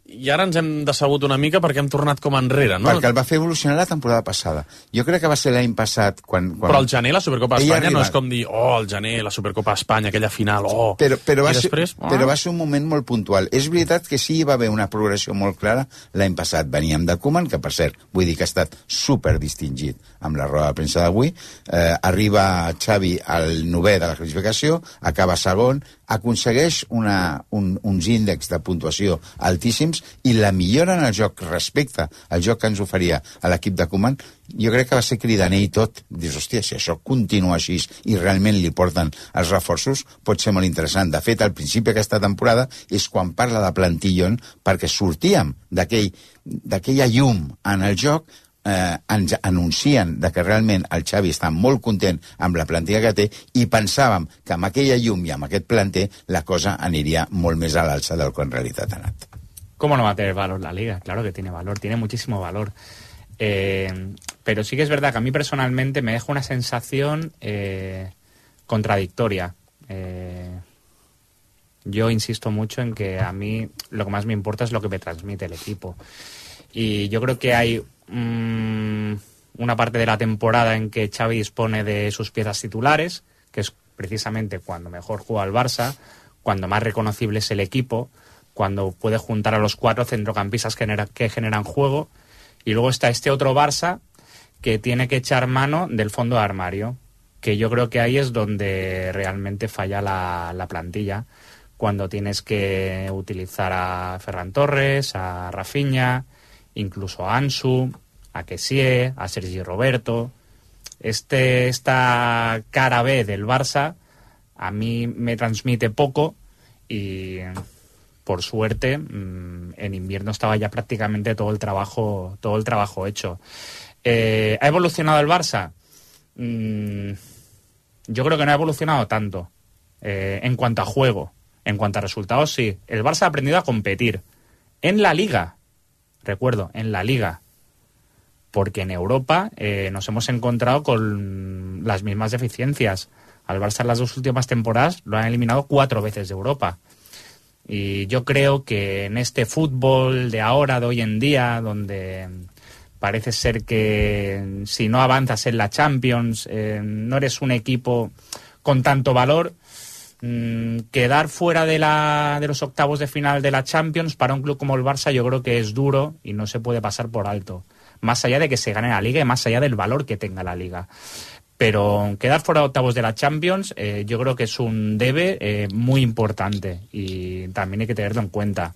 i ara ens hem decebut una mica perquè hem tornat com enrere, no? Perquè el va fer evolucionar la temporada passada. Jo crec que va ser l'any passat quan... quan... Però el gener, la Supercopa d'Espanya, no és com dir, oh, el gener, la Supercopa d'Espanya, aquella final, oh... Però, però, va després, ser, oh. però va ser un moment molt puntual. És veritat que sí hi va haver una progressió molt clara l'any passat. Veníem de Koeman, que per cert, vull dir que ha estat super distingit amb la roda de premsa d'avui. Eh, arriba Xavi al novè de la classificació, acaba segon, aconsegueix una, un, uns índexs de puntuació altíssims i la millora en el joc respecte al joc que ens oferia a l'equip de Koeman, jo crec que va ser cridaner i tot. Dius, hòstia, si això continua així i realment li porten els reforços, pot ser molt interessant. De fet, al principi d'aquesta temporada és quan parla de plantillon, perquè sortíem d'aquella llum en el joc, Eh, ens anuncien de que realment el Xavi està molt content amb la plantilla que té i pensàvem que amb aquella llum i amb aquest planter la cosa aniria molt més a l'alça del que en realitat ha anat. ¿Cómo no va a tener valor la Liga? Claro que tiene valor, tiene muchísimo valor. Eh, pero sí que es verdad que a mí personalmente me deja una sensación eh, contradictoria. Eh, yo insisto mucho en que a mí lo que más me importa es lo que me transmite el equipo. Y yo creo que hay una parte de la temporada en que Xavi dispone de sus piezas titulares, que es precisamente cuando mejor juega el Barça, cuando más reconocible es el equipo, cuando puede juntar a los cuatro centrocampistas que, genera, que generan juego, y luego está este otro Barça que tiene que echar mano del fondo de armario, que yo creo que ahí es donde realmente falla la, la plantilla, cuando tienes que utilizar a Ferran Torres, a Rafinha, incluso a Ansu, a Kessie, a Sergi Roberto. Este, esta cara B del Barça a mí me transmite poco y, por suerte, en invierno estaba ya prácticamente todo el trabajo, todo el trabajo hecho. Eh, ¿Ha evolucionado el Barça? Mm, yo creo que no ha evolucionado tanto. Eh, en cuanto a juego, en cuanto a resultados, sí. El Barça ha aprendido a competir en la Liga. Recuerdo, en la Liga, porque en Europa eh, nos hemos encontrado con las mismas deficiencias. Al Barça en las dos últimas temporadas lo han eliminado cuatro veces de Europa. Y yo creo que en este fútbol de ahora, de hoy en día, donde parece ser que si no avanzas en la Champions, eh, no eres un equipo con tanto valor, mmm, quedar fuera de, la, de los octavos de final de la Champions para un club como el Barça yo creo que es duro y no se puede pasar por alto. Más allá de que se gane la Liga y más allá del valor que tenga la Liga. Pero quedar fuera de octavos de la Champions eh, yo creo que es un debe eh, muy importante y también hay que tenerlo en cuenta.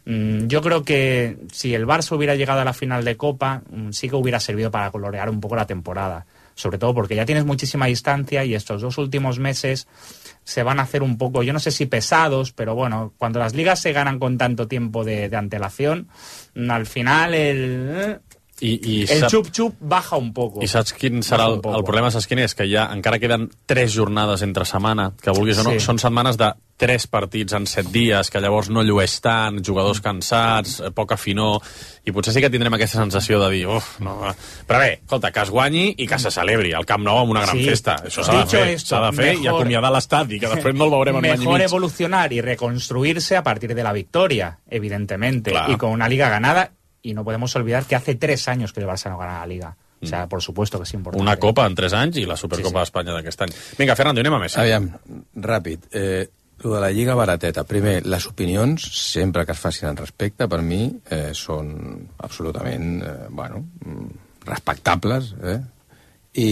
Mm, yo creo que si el Barça hubiera llegado a la final de Copa, mm, sí que hubiera servido para colorear un poco la temporada. Sobre todo porque ya tienes muchísima distancia y estos dos últimos meses se van a hacer un poco, yo no sé si pesados, pero bueno, cuando las ligas se ganan con tanto tiempo de, de antelación, al final el... I, i el sap... xup-xup baja un poco. I saps quin serà el, el problema? Saps quin és? Que ja encara queden tres jornades entre setmana, que vulguis o no, sí. Són setmanes de tres partits en set dies, que llavors no llueix tant, jugadors cansats, poca finor, i potser sí que tindrem aquesta sensació de dir, uf, no... Però bé, escolta, que es guanyi i que se celebri el Camp Nou amb una gran sí. festa. Això s'ha de fer, s'ha de fer mejor, i acomiadar l'estadi, que després no el veurem en un any i mig. Mejor evolucionar y reconstruirse a partir de la victoria, evidentemente, claro. Y con una liga ganada. Y no podemos olvidar que hace tres años que el Barça no gana la Liga. O sea, por supuesto que es importante. Una Copa en tres anys i la Supercopa sí, sí. d'Espanya d'aquest any. Vinga, Fernando, anem a Messi. Aviam, ràpid. Eh, lo de la Lliga barateta. Primer, les opinions, sempre que es facin al respecte, per mi, eh, són absolutament, eh, bueno, respectables, eh? I,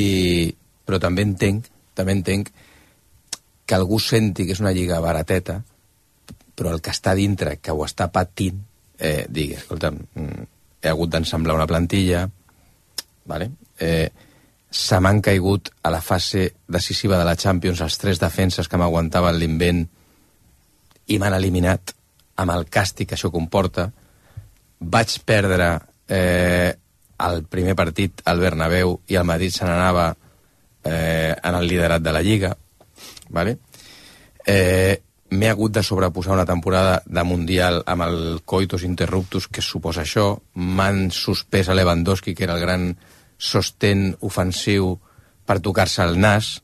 però també entenc, també entenc que algú senti que és una Lliga barateta, però el que està dintre, que ho està patint, Eh, digui, escolta, he hagut d'ensamblar una plantilla, vale? eh, se m'han caigut a la fase decisiva de la Champions els tres defenses que m'aguantaven l'invent i m'han eliminat amb el càstig que això comporta. Vaig perdre eh, el primer partit al Bernabéu i el Madrid se n'anava eh, en el liderat de la Lliga, vale? eh, m'he hagut de sobreposar una temporada de Mundial amb el coitus interruptus que suposa això, m'han suspès a Lewandowski, que era el gran sostén ofensiu per tocar-se el nas,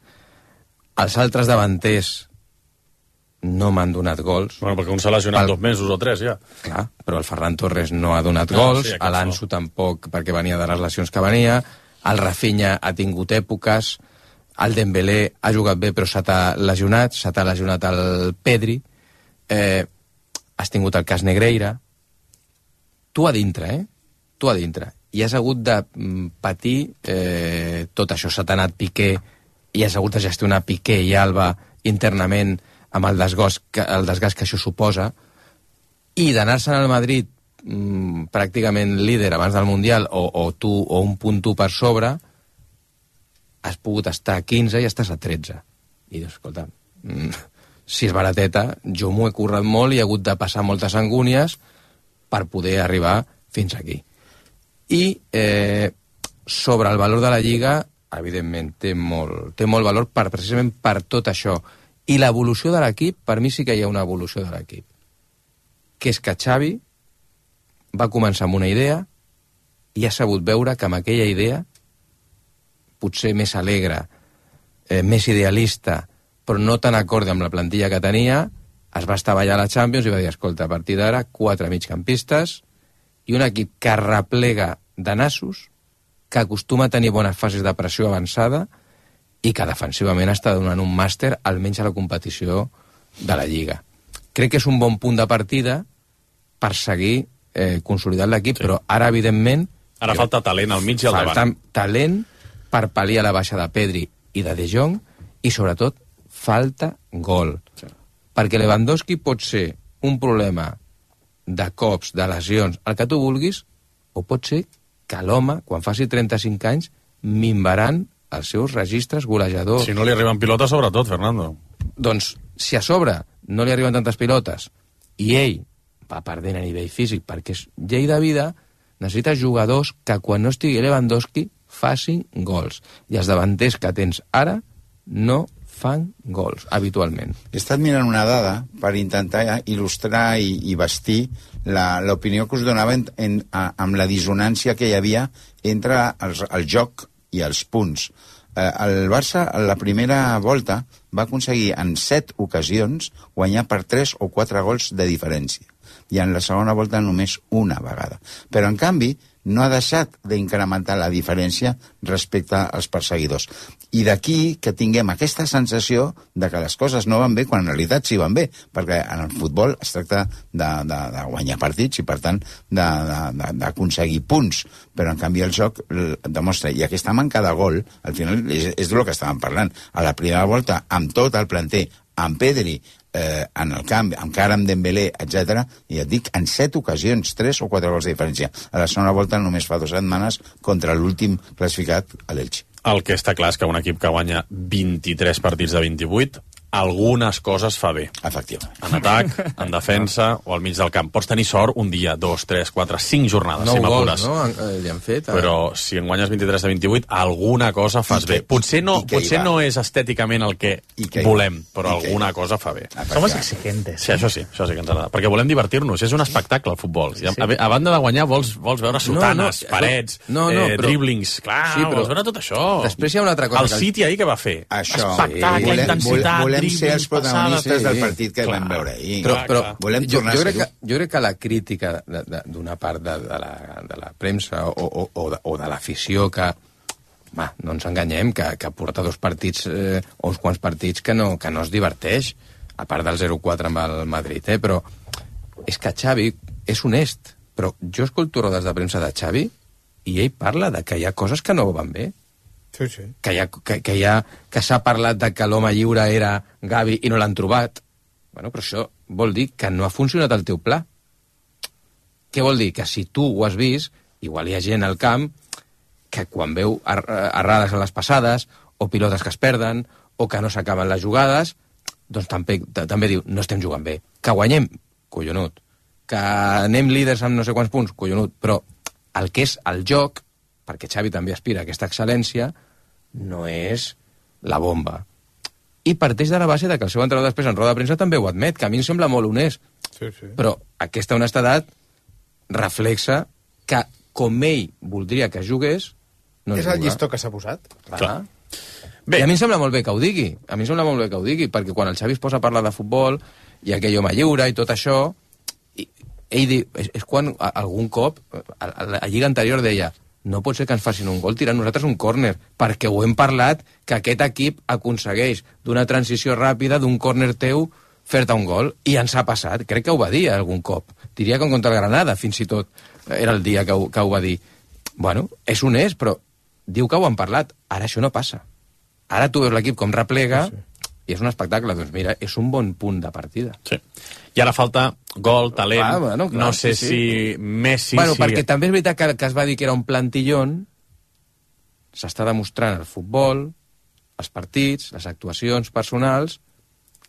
els altres davanters no m'han donat gols. Bueno, perquè un s'ha lesionat el... dos mesos o tres, ja. Clar, però el Ferran Torres no ha donat no, gols, sí, l'Ansu tampoc, perquè venia de les lesions que venia, el Rafinha ha tingut èpoques, el Dembélé ha jugat bé però s'ha lesionat, s'ha lesionat el Pedri, eh, has tingut el cas Negreira, tu a dintre, eh? Tu a dintre. I has hagut de patir eh, tot això, s'ha anat Piqué, i has hagut de gestionar Piqué i Alba internament amb el desgast que, el desgast que això suposa, i d'anar-se'n al Madrid mm, pràcticament líder abans del Mundial, o, o tu, o un punt tu per sobre, has pogut estar a quinze i estàs a tretze. I dius, escolta, mm, si és barateta, jo m'ho he currat molt i he hagut de passar moltes angúnies per poder arribar fins aquí. I eh, sobre el valor de la Lliga, evidentment, té molt, té molt valor per, precisament per tot això. I l'evolució de l'equip, per mi sí que hi ha una evolució de l'equip. Que és que Xavi va començar amb una idea i ha sabut veure que amb aquella idea potser més alegre, eh, més idealista, però no tan acorde amb la plantilla que tenia, es va estavellar a la Champions i va dir, escolta, a partir d'ara, quatre migcampistes i un equip que replega de nassos, que acostuma a tenir bones fases de pressió avançada i que defensivament està donant un màster almenys a la competició de la Lliga. Crec que és un bon punt de partida per seguir eh, consolidant l'equip, sí. Però ara, evidentment... Ara jo, falta talent al mig i al davant. Falta talent per pal·liar la baixa de Pedri i de De Jong, i sobretot falta gol. Sí. Perquè Lewandowski pot ser un problema de cops, de lesions, el que tu vulguis, o pot ser que l'home, quan faci trenta-cinc anys, minvaran els seus registres golejadors. Si no li arriben pilotes, sobretot, Fernando. Doncs, si a sobre no li arriben tantes pilotes i ell va perdent a nivell físic perquè és llei de vida, necessita jugadors que quan no estigui Lewandowski facin gols. I els davanters que tens ara no fan gols, habitualment. He estat mirant una dada per intentar il·lustrar i, i vestir l'opinió que us donava en, en, a, amb la dissonància que hi havia entre els, el joc i els punts. Eh, el Barça, a la primera volta, va aconseguir en set ocasions guanyar per tres o quatre gols de diferència. I en la segona volta només una vegada. Però, en canvi, no ha deixat d'incrementar la diferència respecte als perseguidors. I d'aquí que tinguem aquesta sensació de que les coses no van bé quan en realitat sí van bé, perquè en el futbol es tracta de, de, de guanyar partits i, per tant, d'aconseguir punts. Però, en canvi, el joc demostra. I aquesta manca de gol, al final, és, és del que estàvem parlant. A la primera volta, amb tot el planter, amb Pedri, eh, en el camp, encara amb Dembélé, etcètera, i et dic, en set ocasions, tres o quatre gols de diferència. A la segona volta només fa dues setmanes contra l'últim classificat, a l'Elche. El que està clar és que un equip que guanya vint-i-tres partits de vint-i-vuit algunes coses fa bé. Efectivament. En atac, en defensa o al mig del camp. Pots tenir sort un dia, dos, tres, quatre, cinc jornades, nou si m'apures. gols, no? Li han fet. Però si en guanyes vint-i-tres de vint-i-vuit, alguna cosa fas bé. Potser no, potser no és estèticament el que volem, però alguna cosa fa bé. Somos exigentes. Sí, això sí, això sí que ens agrada. Perquè volem divertir-nos, és un espectacle el futbol. A, a banda de guanyar vols, vols veure sotanes, no, no, parets, no, no, eh, però, dribblings, clar, sí, però, vols veure tot això. Després hi ha una altra cosa. El City ahir què va fer? Això. Espectacle, volem, intensitat, volem dribblings, ser els protagonistes sí, del partit que clar, vam veure ahir. Però, però volem jo, tornar jo, a crec ser-ho. que, jo crec que la crítica d'una part de, de, la, de la premsa o, o, o de, o de l'afició que, va, no ens enganyem, que, que porta dos partits eh, o uns quants partits que no, que no es diverteix, a part del zero quatre amb el Madrid, eh? Però és que Xavi és honest, però jo escolto rodes de premsa de Xavi i ell parla de que hi ha coses que no van bé. Sí, sí. Que, hi ha, que, que, hi ha, que s'ha parlat de que l'home lliure era Gavi i no l'han trobat. Bueno, però això vol dir que no ha funcionat el teu pla. Què vol dir? Que si tu ho has vist, igual hi ha gent al camp que quan veu errades a les passades, o pilotes que es perden, o que no s'acaben les jugades, doncs també, també diu, no estem jugant bé. Que guanyem? Collonut. Que anem líders amb no sé quants punts? Collonut. Però el que és el joc, perquè Xavi també aspira a aquesta excel·lència, no és la bomba. I parteix de la base de que el seu entrenador després en roda de premsa també ho admet, que a mi em sembla molt honest. Sí, sí. Però aquesta honestedat reflexa que com ell voldria que jugués, no és juga. el llistó que s'ha posat. Clar. Clar. Bé. I a mi em sembla molt bé que ho digui. A mi em sembla molt bé que ho digui, perquè quan el Xavi es posa a parlar de futbol i aquell home lliure i tot això, i ell diu, és, és quan algun cop, a, a la lliga anterior deia, no pot ser que ens facin un gol tirant nosaltres un córner, perquè ho hem parlat que aquest equip aconsegueix d'una transició ràpida d'un córner teu fer-te un gol, i ens ha passat. Crec que ho va dir algun cop. Diria que contra el Granada, fins i tot, era el dia que ho, que ho va dir. Bueno, és honest, però diu que ho han parlat. Ara això no passa. Ara tu veus l'equip com replega, sí, sí. I és un espectacle. Doncs mira, és un bon punt de partida. Sí. I ara falta gol, talent, ah, bueno, clar, no sé sí, sí. si Messi... Bueno, si... perquè també és veritat que, que es va dir que era un plantillón, s'està demostrant el futbol, els partits, les actuacions personals,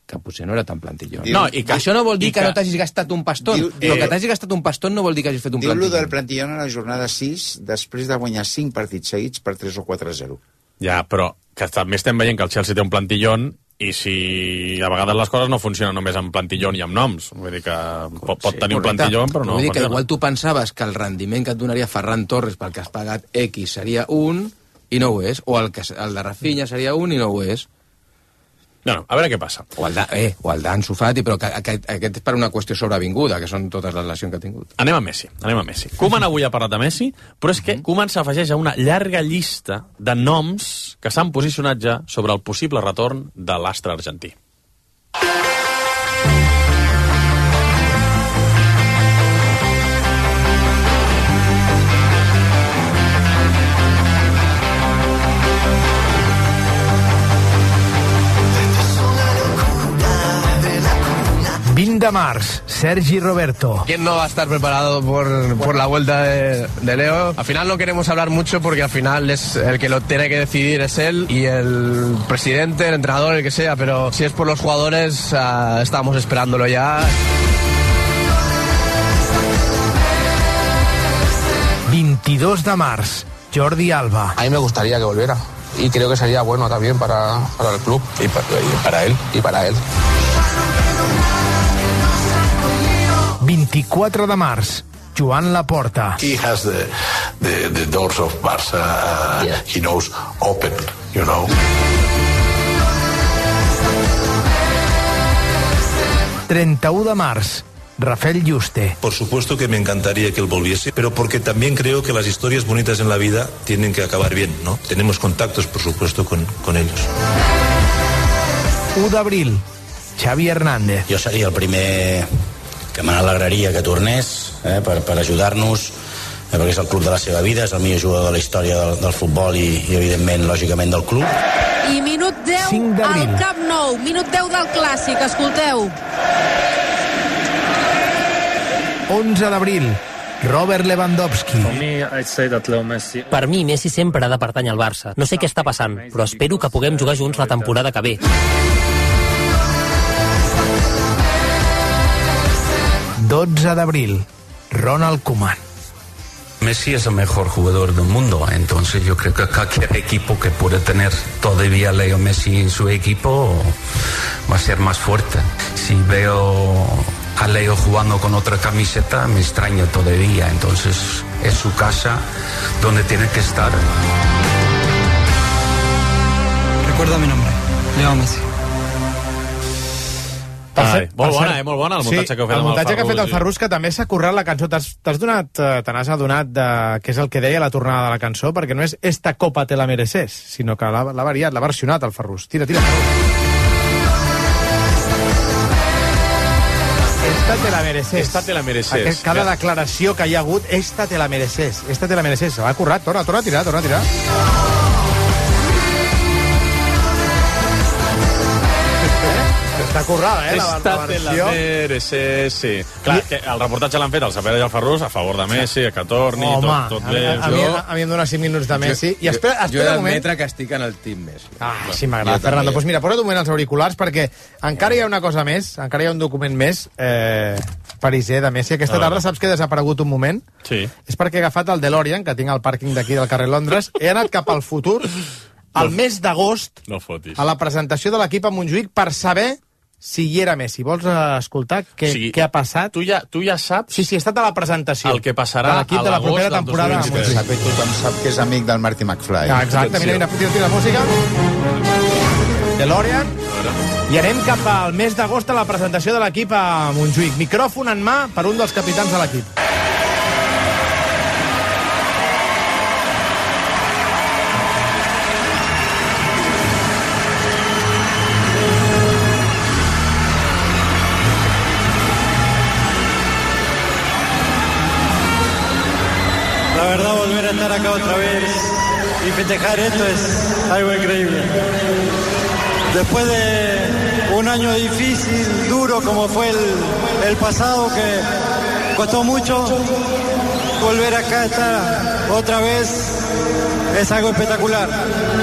que potser no era tan plantillón. No, i que, això no vol dir que, que no t'hagis gastat un pastón, diu, però eh, que t'hagis gastat un pastón no vol dir que hagis fet un plantillón. Diu-lo plantillón. del plantillón a la jornada sis, després de guanyar cinc partits seguits per tres o quatre a zero. Ja, però que també estem veient que el Chelsea té un plantillón i si a vegades les coses no funcionen només amb plantillón i amb noms. Vull dir que pot, pot Sí, tenir un correcte. plantillón, però no Vull dir que funciona. igual tu pensaves que el rendiment que et donaria Ferran Torres pel que has pagat X seria un i no ho és, o el, que, el de Rafinha seria un i no ho és. No, no, a veure què passa. O el de, eh, o el d'Ansu Fati, però que, aquest, aquest és per una qüestió sobrevinguda, que són totes les lesions que ha tingut. Anem a Messi, anem a Messi. Koeman avui ha parlat de Messi, però és que Koeman s'afegeix a una llarga llista de noms que s'han posicionat ja sobre el possible retorn de l'astre argentí. vint de març, Sergi Roberto. ¿Quién no va a estar preparado por, por la vuelta de, de Leo? Al final no queremos hablar mucho porque al final es el que lo tiene que decidir es él y el presidente, el entrenador, el que sea, pero si es por los jugadores, uh, estamos esperándolo ya. veintidós de març, Jordi Alba. A mí me gustaría que volviera y creo que sería bueno también para, para el club y para, y para él y para él. veinticuatro de març, Joan Laporta. He has the, the, the doors of Barça, uh, yeah. he knows, open, you know. treinta-u de març. Rafael Yuste. Por supuesto que me encantaría que él volviese, pero porque también creo que las historias bonitas en la vida tienen que acabar bien, ¿no? Tenemos contactos, por supuesto, con, con ellos. u d'abril. Xavi Hernández. Jo seria el primer que me n'alegraria que tornés, eh, per, per ajudar-nos, eh, perquè és el club de la seva vida, és el millor jugador de la història del, del futbol i, i, evidentment, lògicament, del club. I minut deu al Camp Nou, minut deu del Clàssic, escolteu. onze d'abril. Robert Lewandowski. Per mi, Messi sempre ha de pertànyer al Barça. No sé què està passant, però espero que puguem jugar junts la temporada que ve. dotze d'abril. Ronald Koeman. Messi es el mejor jugador del mundo, entonces yo creo que cualquier equipo que pueda tener todavía Leo Messi en su equipo va a ser más fuerte. Si veo a Leo jugando con otra camiseta me extraña todavía, entonces es su casa donde tiene que estar. Recuerda mi nombre, Leo Messi. Ai, molt bona, eh? Molt bona el muntatge sí, que heu fet amb el Ferrus. El muntatge que ha fet el Ferrus, que també s'ha currat la cançó. T'has donat, te n'has adonat de què és el que deia la tornada de la cançó, perquè no és esta copa te la mereces, sinó que l'ha variat, l'ha versionat el Ferrus. Tira, tira, Ferrus. Esta te la mereces. Esta te la mereces. Aquest, cada declaració que hi ha hagut, esta te la mereces. Esta te la mereces. L'ha currat. Torna, torna a tirar, torna a tirar. Està currada, eh, la, Esta la te la versió. mereces, sí. Clar, que el reportatge l'han fet el Sapera i el Ferrus a favor de Messi, que torni, Home, tot, tot bé. A, a, mi, a mi em dona cinc minuts de Messi. I espera, jo, espera jo he un moment. d'admetre que estic en el team Messi. Ah, sí, m'agrada, Fernando. Doncs pues mira, posa't un moment els auriculars, perquè encara hi ha una cosa més, encara hi ha un document més, eh, pariser de Messi. Aquesta tarda saps que he desaparegut un moment? Sí. És perquè he agafat el DeLorean, que tinc al pàrquing d'aquí del carrer Londres, he anat cap al futur, al no, mes d'agost, no fotis. a la presentació de l'equip a Montjuïc, per saber si hi era Messi. Vols escoltar què, o sigui, què ha passat? Tu ja, tu ja saps... Sí, sí, he estat a la presentació. El que passarà de l'equip de la propera temporada. Sap, tothom sap que és amic del Marty McFly. Ah, exacte, mira, mira, tira, tira la música. DeLorean. I anem cap al mes d'agost a la presentació de l'equip a Montjuïc. Micròfon en mà per un dels capitans de l'equip. La verdad, volver a estar acá otra vez y festejar esto es algo increíble. Después de un año difícil, duro como fue el, el pasado, que costó mucho, volver acá a estar otra vez es algo espectacular.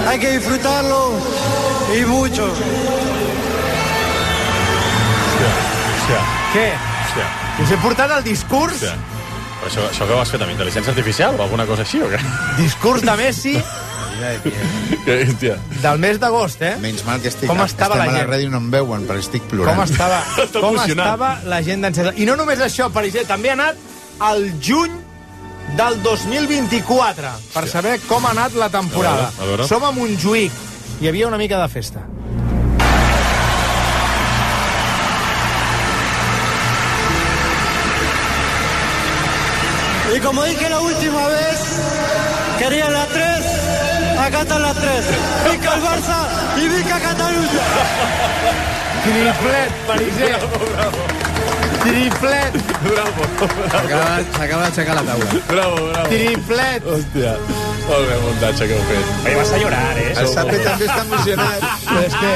Hay que disfrutarlo y mucho. Què? Us he portat el discurs... Hòstia. Però això, això que ho has fet amb intel·ligència artificial o alguna cosa així, o què? Discurs de Messi del mes d'agost, eh? Menys mal que estic, com estava estem la a la gent? ràdio i no em veuen, perquè estic plorant. Com estava, com estava la gent d'encesa. I no només això, per exemple, també ha anat al juny del dos mil vint-i-quatre per saber com ha anat la temporada. A veure, a veure. Som a Montjuïc. Hi havia una mica de festa. Y como dije la última vez, quería la tres, acá están las tres. Vica el Barça y Vica Catalunya. Triplet, pariser. Bravo, bravo. Triplet. Bravo. S'acaba d'aixecar la taula. Bravo, bravo. Triplet. Hòstia. Molt bé el muntatge que heu fet. Oye, vas a llorar, eh? El Sape també està emocionat. Però és que...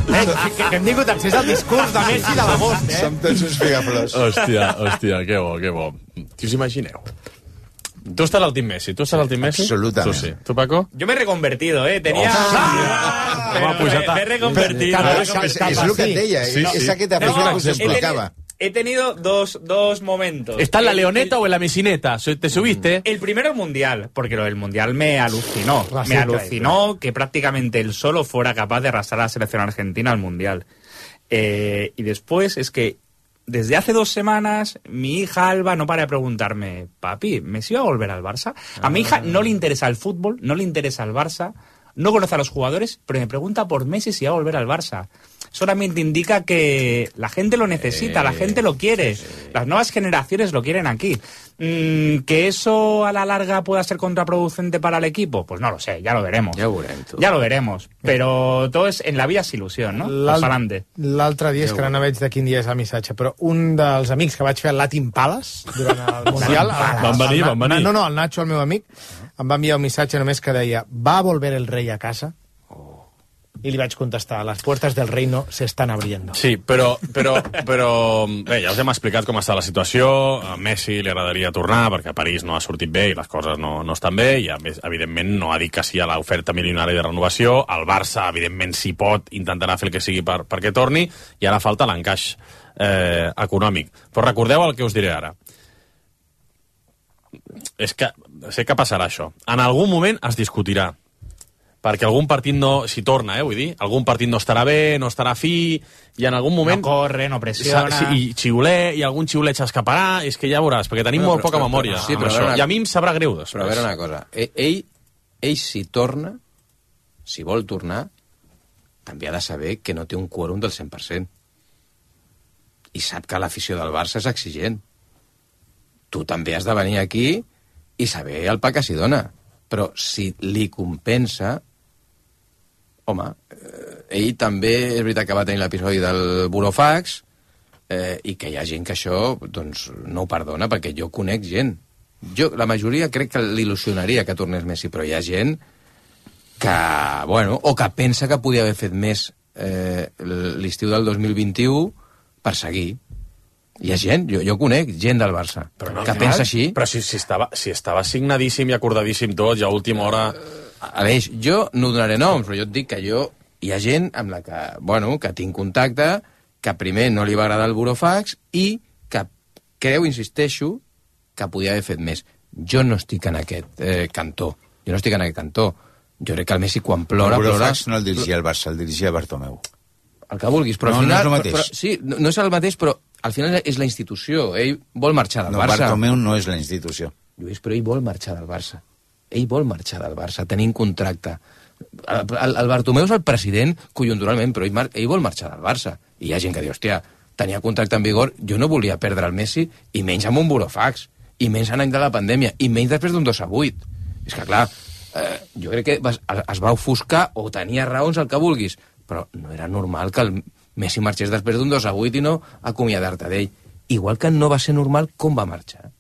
Eh, que, que hem tingut accés al discurs de Messi de l'agost, eh? Som tots uns figaflors. Hòstia, hòstia, que bo, que bo. Què us imagineu? Tu estàs al Team Messi, tu estàs al Team Messi? Absolutament. Tu sí. Tu, Paco? Yo me he reconvertido, ¿eh? Tenía... Oh, Pero me, me he reconvertido. Però, me he és, és, reconvertido. és el que et deia, Sí, sí. és aquest efecte No, que us he explicava. tenido- He tenido dos, dos momentos. ¿Está en la El- leoneta el- o en la mesineta? ¿Te subiste? El primero el mundial, porque lo del mundial me alucinó. Ah, sí, me claro. alucinó que prácticamente él solo fuera capaz de arrastrar a la selección argentina al mundial. Eh, y después es que desde hace dos semanas mi hija Alba no para de preguntarme, papi, ¿Messi va a volver al Barça? A mi hija no le interesa el fútbol, no le interesa el Barça, no conoce a los jugadores, pero me pregunta por Messi si va a volver al Barça. Solamente indica que la gente lo necesita, eh, la gente lo quiere, sí, sí. Las nuevas generaciones lo quieren aquí. Mm, ¿Que eso a la larga pueda ser contraproducente para el equipo? Pues no lo sé, ya lo veremos. Ja ho veurem, tu. Ja lo veremos, però tot és, en la vida és il·lusió, no? L'altre dia, és que ara no veig de quin dia és el missatge, però un dels amics que vaig fer al Latin Palace durant el Mundial... Van venir, van venir. No, no, el Nacho, el meu amic, em va enviar un missatge només que deia ¿va a volver el rei a casa? I li vaig contestar, les puertas del reino se están abriendo. Sí, però, però, però bé, ja us hem explicat com està la situació. A Messi li agradaria tornar perquè a París no ha sortit bé i les coses no, no estan bé i, a més, evidentment, no ha dit que sí a l'oferta milionària de renovació. El Barça, evidentment, si pot, intentarà fer el que sigui per, perquè torni i ara falta l'encaix eh, econòmic. Però recordeu el que us diré ara. És que sé que passarà això. En algun moment es discutirà perquè algun partit no, si torna, eh, vull dir, algun partit no estarà bé, no estarà fi, i en algun moment... No corre, no pressiona... I xiuler, i algun xiuler s'escaparà, és que ja veuràs, perquè tenim però, molt però, poca però, memòria però, sí, amb això, una... i a mi em sabrà greu després. Però a veure una cosa, ell, ell si torna, si vol tornar, també ha de saber que no té un quòrum del cent per cent. I sap que l'afició del Barça és exigent. Tu també has de venir aquí i saber el pa que s'hi dona. Però si li compensa... Home, eh, ell també és veritat que va tenir l'episodi del burofax eh, i que hi ha gent que això doncs, no ho perdona, perquè jo conec gent. Jo, la majoria crec que l'il·lusionaria que tornés Messi, però hi ha gent que, bueno, o que pensa que podia haver fet més eh, l'estiu del dos mil vint-i-u per seguir. Hi ha gent, jo, jo conec gent del Barça però no, que clar, pensa així. Però si, si, estava, si estava signadíssim i acordadíssim tot, ja a última hora... Aleix, jo no donaré noms, però jo et dic que jo... Hi ha gent amb la que, bueno, que tinc contacte, que primer no li va agradar el burofax i que creu, insisteixo, que podia haver fet més. Jo no estic en aquest eh, cantó. Jo no estic en aquest cantó. Jo crec que el Messi quan plora... El burofax plora... no el dirigia el Barça, el dirigia Bartomeu. El que vulguis, però no, al final... No és el mateix. Però, sí, no, no és el mateix, però al final és la institució. Ell vol marxar del no, Barça. Bartomeu no és la institució. Lluís, però ell vol marxar del Barça. Ell vol marxar del Barça, tenint contracte. El, el, el Bartomeu és el president conjunturalment, però ell, mar, ell vol marxar del Barça. I hi ha gent que diu, hòstia, tenia contracte en vigor, jo no volia perdre el Messi, i menys amb un burofax, i menys en any de la pandèmia, i menys després d'un dos a vuit. És que, clar, eh, jo crec que es, es va ofuscar, o tenia raons, el que vulguis, però no era normal que el Messi marxés després d'un dos a vuit i no acomiadar-te d'ell. Igual que no va ser normal com va marxar.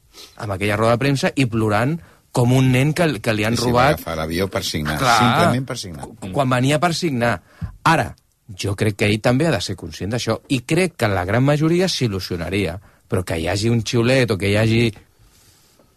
Amb aquella roda de premsa i plorant com un nen que, que li han sí, robat... Sí, va agafar l'avió per signar, clar, simplement per signar. Quan venia per signar. Ara, jo crec que ell també ha de ser conscient d'això, i crec que la gran majoria s'il·lusionaria, però que hi hagi un xiulet o que hi hagi...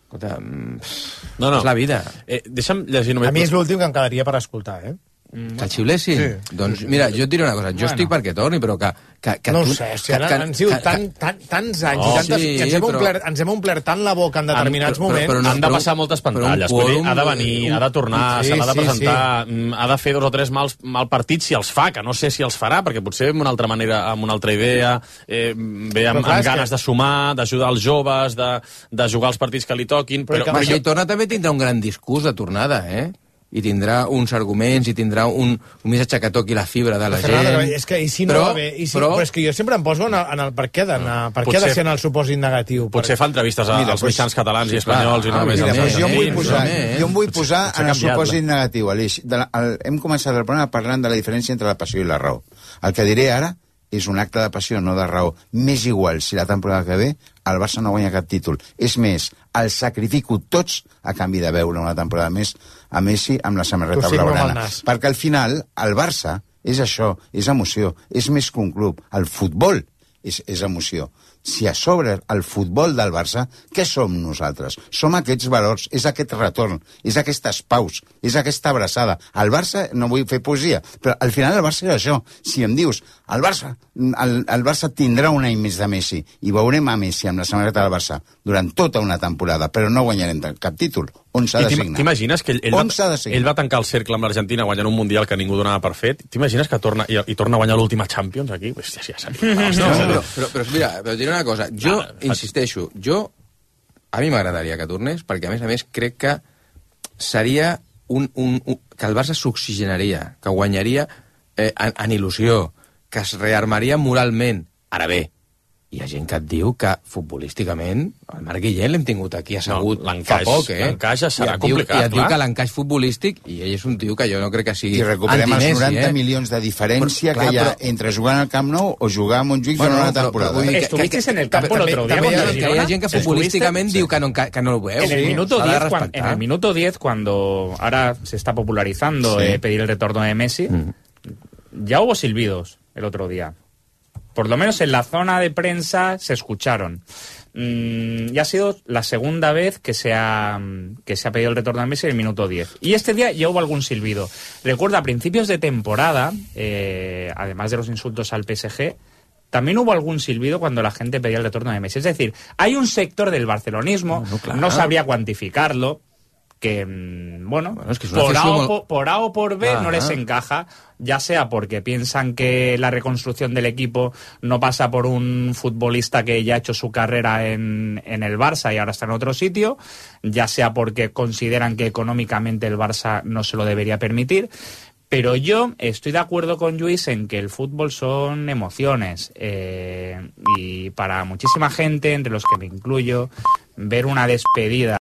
Escolta, no, no. És la vida. Eh, deixa'm llegir només... A mi és l'últim que em quedaria per escoltar, eh? Que el xiulessin? Sí. Doncs mira, jo et diré una cosa, jo bueno. estic perquè torni, però que... que, que no tu, ho sé, que, que, han sigut tan, tan, tants anys, oh, i tantes, sí, ens, hem però... omplert, ens hem omplert tant la boca en determinats han, moments... Però, però no, han de passar moltes pantalles, vull dir, ha de venir, ha de tornar, sí, se l'ha de presentar, sí, sí. ha de fer dos o tres mals, mal partits si els fa, que no sé si els farà, perquè potser amb una altra manera, amb una altra idea, eh, ve amb, clar, amb ganes que... de sumar, d'ajudar els joves, de, de jugar els partits que li toquin... Però, però, però si jo... torna també tindrà un gran discurs de tornada, eh? I tindrà uns arguments, i tindrà un, un missatge que toqui la fibra de la Fernanda, gent... És que i si no però, va bé... I si, però, però és que jo sempre em poso en el, en el per què d'anar... Per què ha de ser en el supòsit negatiu? Potser fa entrevistes a, mira, als pues, mitjans catalans i espanyols i no només... Mira, pues jo em vull posar, jo em vull posar en el supòsit negatiu, Aleix. De la, el, hem començat el programa parlant de la diferència entre la passió i la raó. El que diré ara és un acte de passió, no de raó. M'és igual si la temporada que ve el Barça no guanya cap títol. És més, el sacrifico tots a canvi de veure una temporada més a Messi amb la samarreta blaugrana. Perquè al final el Barça és això, és emoció, és més que un club. El futbol és, és emoció. Si a sobre el futbol del Barça, què som nosaltres? Som aquests valors, és aquest retorn, és aquestes paus, és aquesta abraçada. El Barça, no vull fer poesia, però al final el Barça és això. Si em dius, el Barça, el, el Barça tindrà un any més de Messi i veurem a Messi amb la samarreta del Barça durant tota una temporada, però no guanyarem cap títol, on s'ha de signar. T'imagines que ell, ell, va, ell va tancar el cercle amb l'Argentina guanyant un Mundial que ningú donava per fet? T'imagines que torna i, i torna a guanyar l'última Champions aquí? Hòstia, ja seria... No, no, però, però, però mira, però diré una cosa. Jo, ah, insisteixo, jo... A mi m'agradaria que tornés, perquè a més a més crec que seria un... un, un que el Barça s'oxigenaria, que guanyaria eh, en, en il·lusió, que es rearmaria moralment. Ara bé, hi ha gent que et diu que futbolísticament el Marc Guillén l'hem tingut aquí assegut no, fa poc, eh? L'encaix serà I et diu, complicat, i et diu clar. que l'encaix futbolístic, i ell és un tio que jo no crec que sigui I recuperem els noranta eh? milions de diferència però, clar, que hi ha però... entre jugar al Camp Nou o jugar a Montjuïc bueno, durant una temporada. Però, però, Estuviste en el campo el otro día també, contra també, que hi ha gent que futbolísticament diu que no, que no lo veu. En el, sí, minuto diez, cuando, en el minuto diez, cuando ahora se está popularizando sí. eh, pedir el retorno de Messi, mm. ya hubo silbidos el otro día. Por lo menos en la zona de prensa se escucharon. Mm, ya ha sido la segunda vez que se ha que se ha pedido el retorno de Messi en el minuto diez. Y este día ya hubo algún silbido. Recuerda, a principios de temporada, eh, además de los insultos al P S G, también hubo algún silbido cuando la gente pedía el retorno de Messi. Es decir, hay un sector del barcelonismo, no, no, claro. no sabría cuantificarlo, que, bueno, bueno es que es por, A o por, por A o por B ah, no les encaja, ya sea porque piensan que la reconstrucción del equipo no pasa por un futbolista que ya ha hecho su carrera en, en el Barça y ahora está en otro sitio, ya sea porque consideran que económicamente el Barça no se lo debería permitir. Pero yo estoy de acuerdo con Lluís en que el fútbol son emociones, eh, y para muchísima gente, entre los que me incluyo, ver una despedida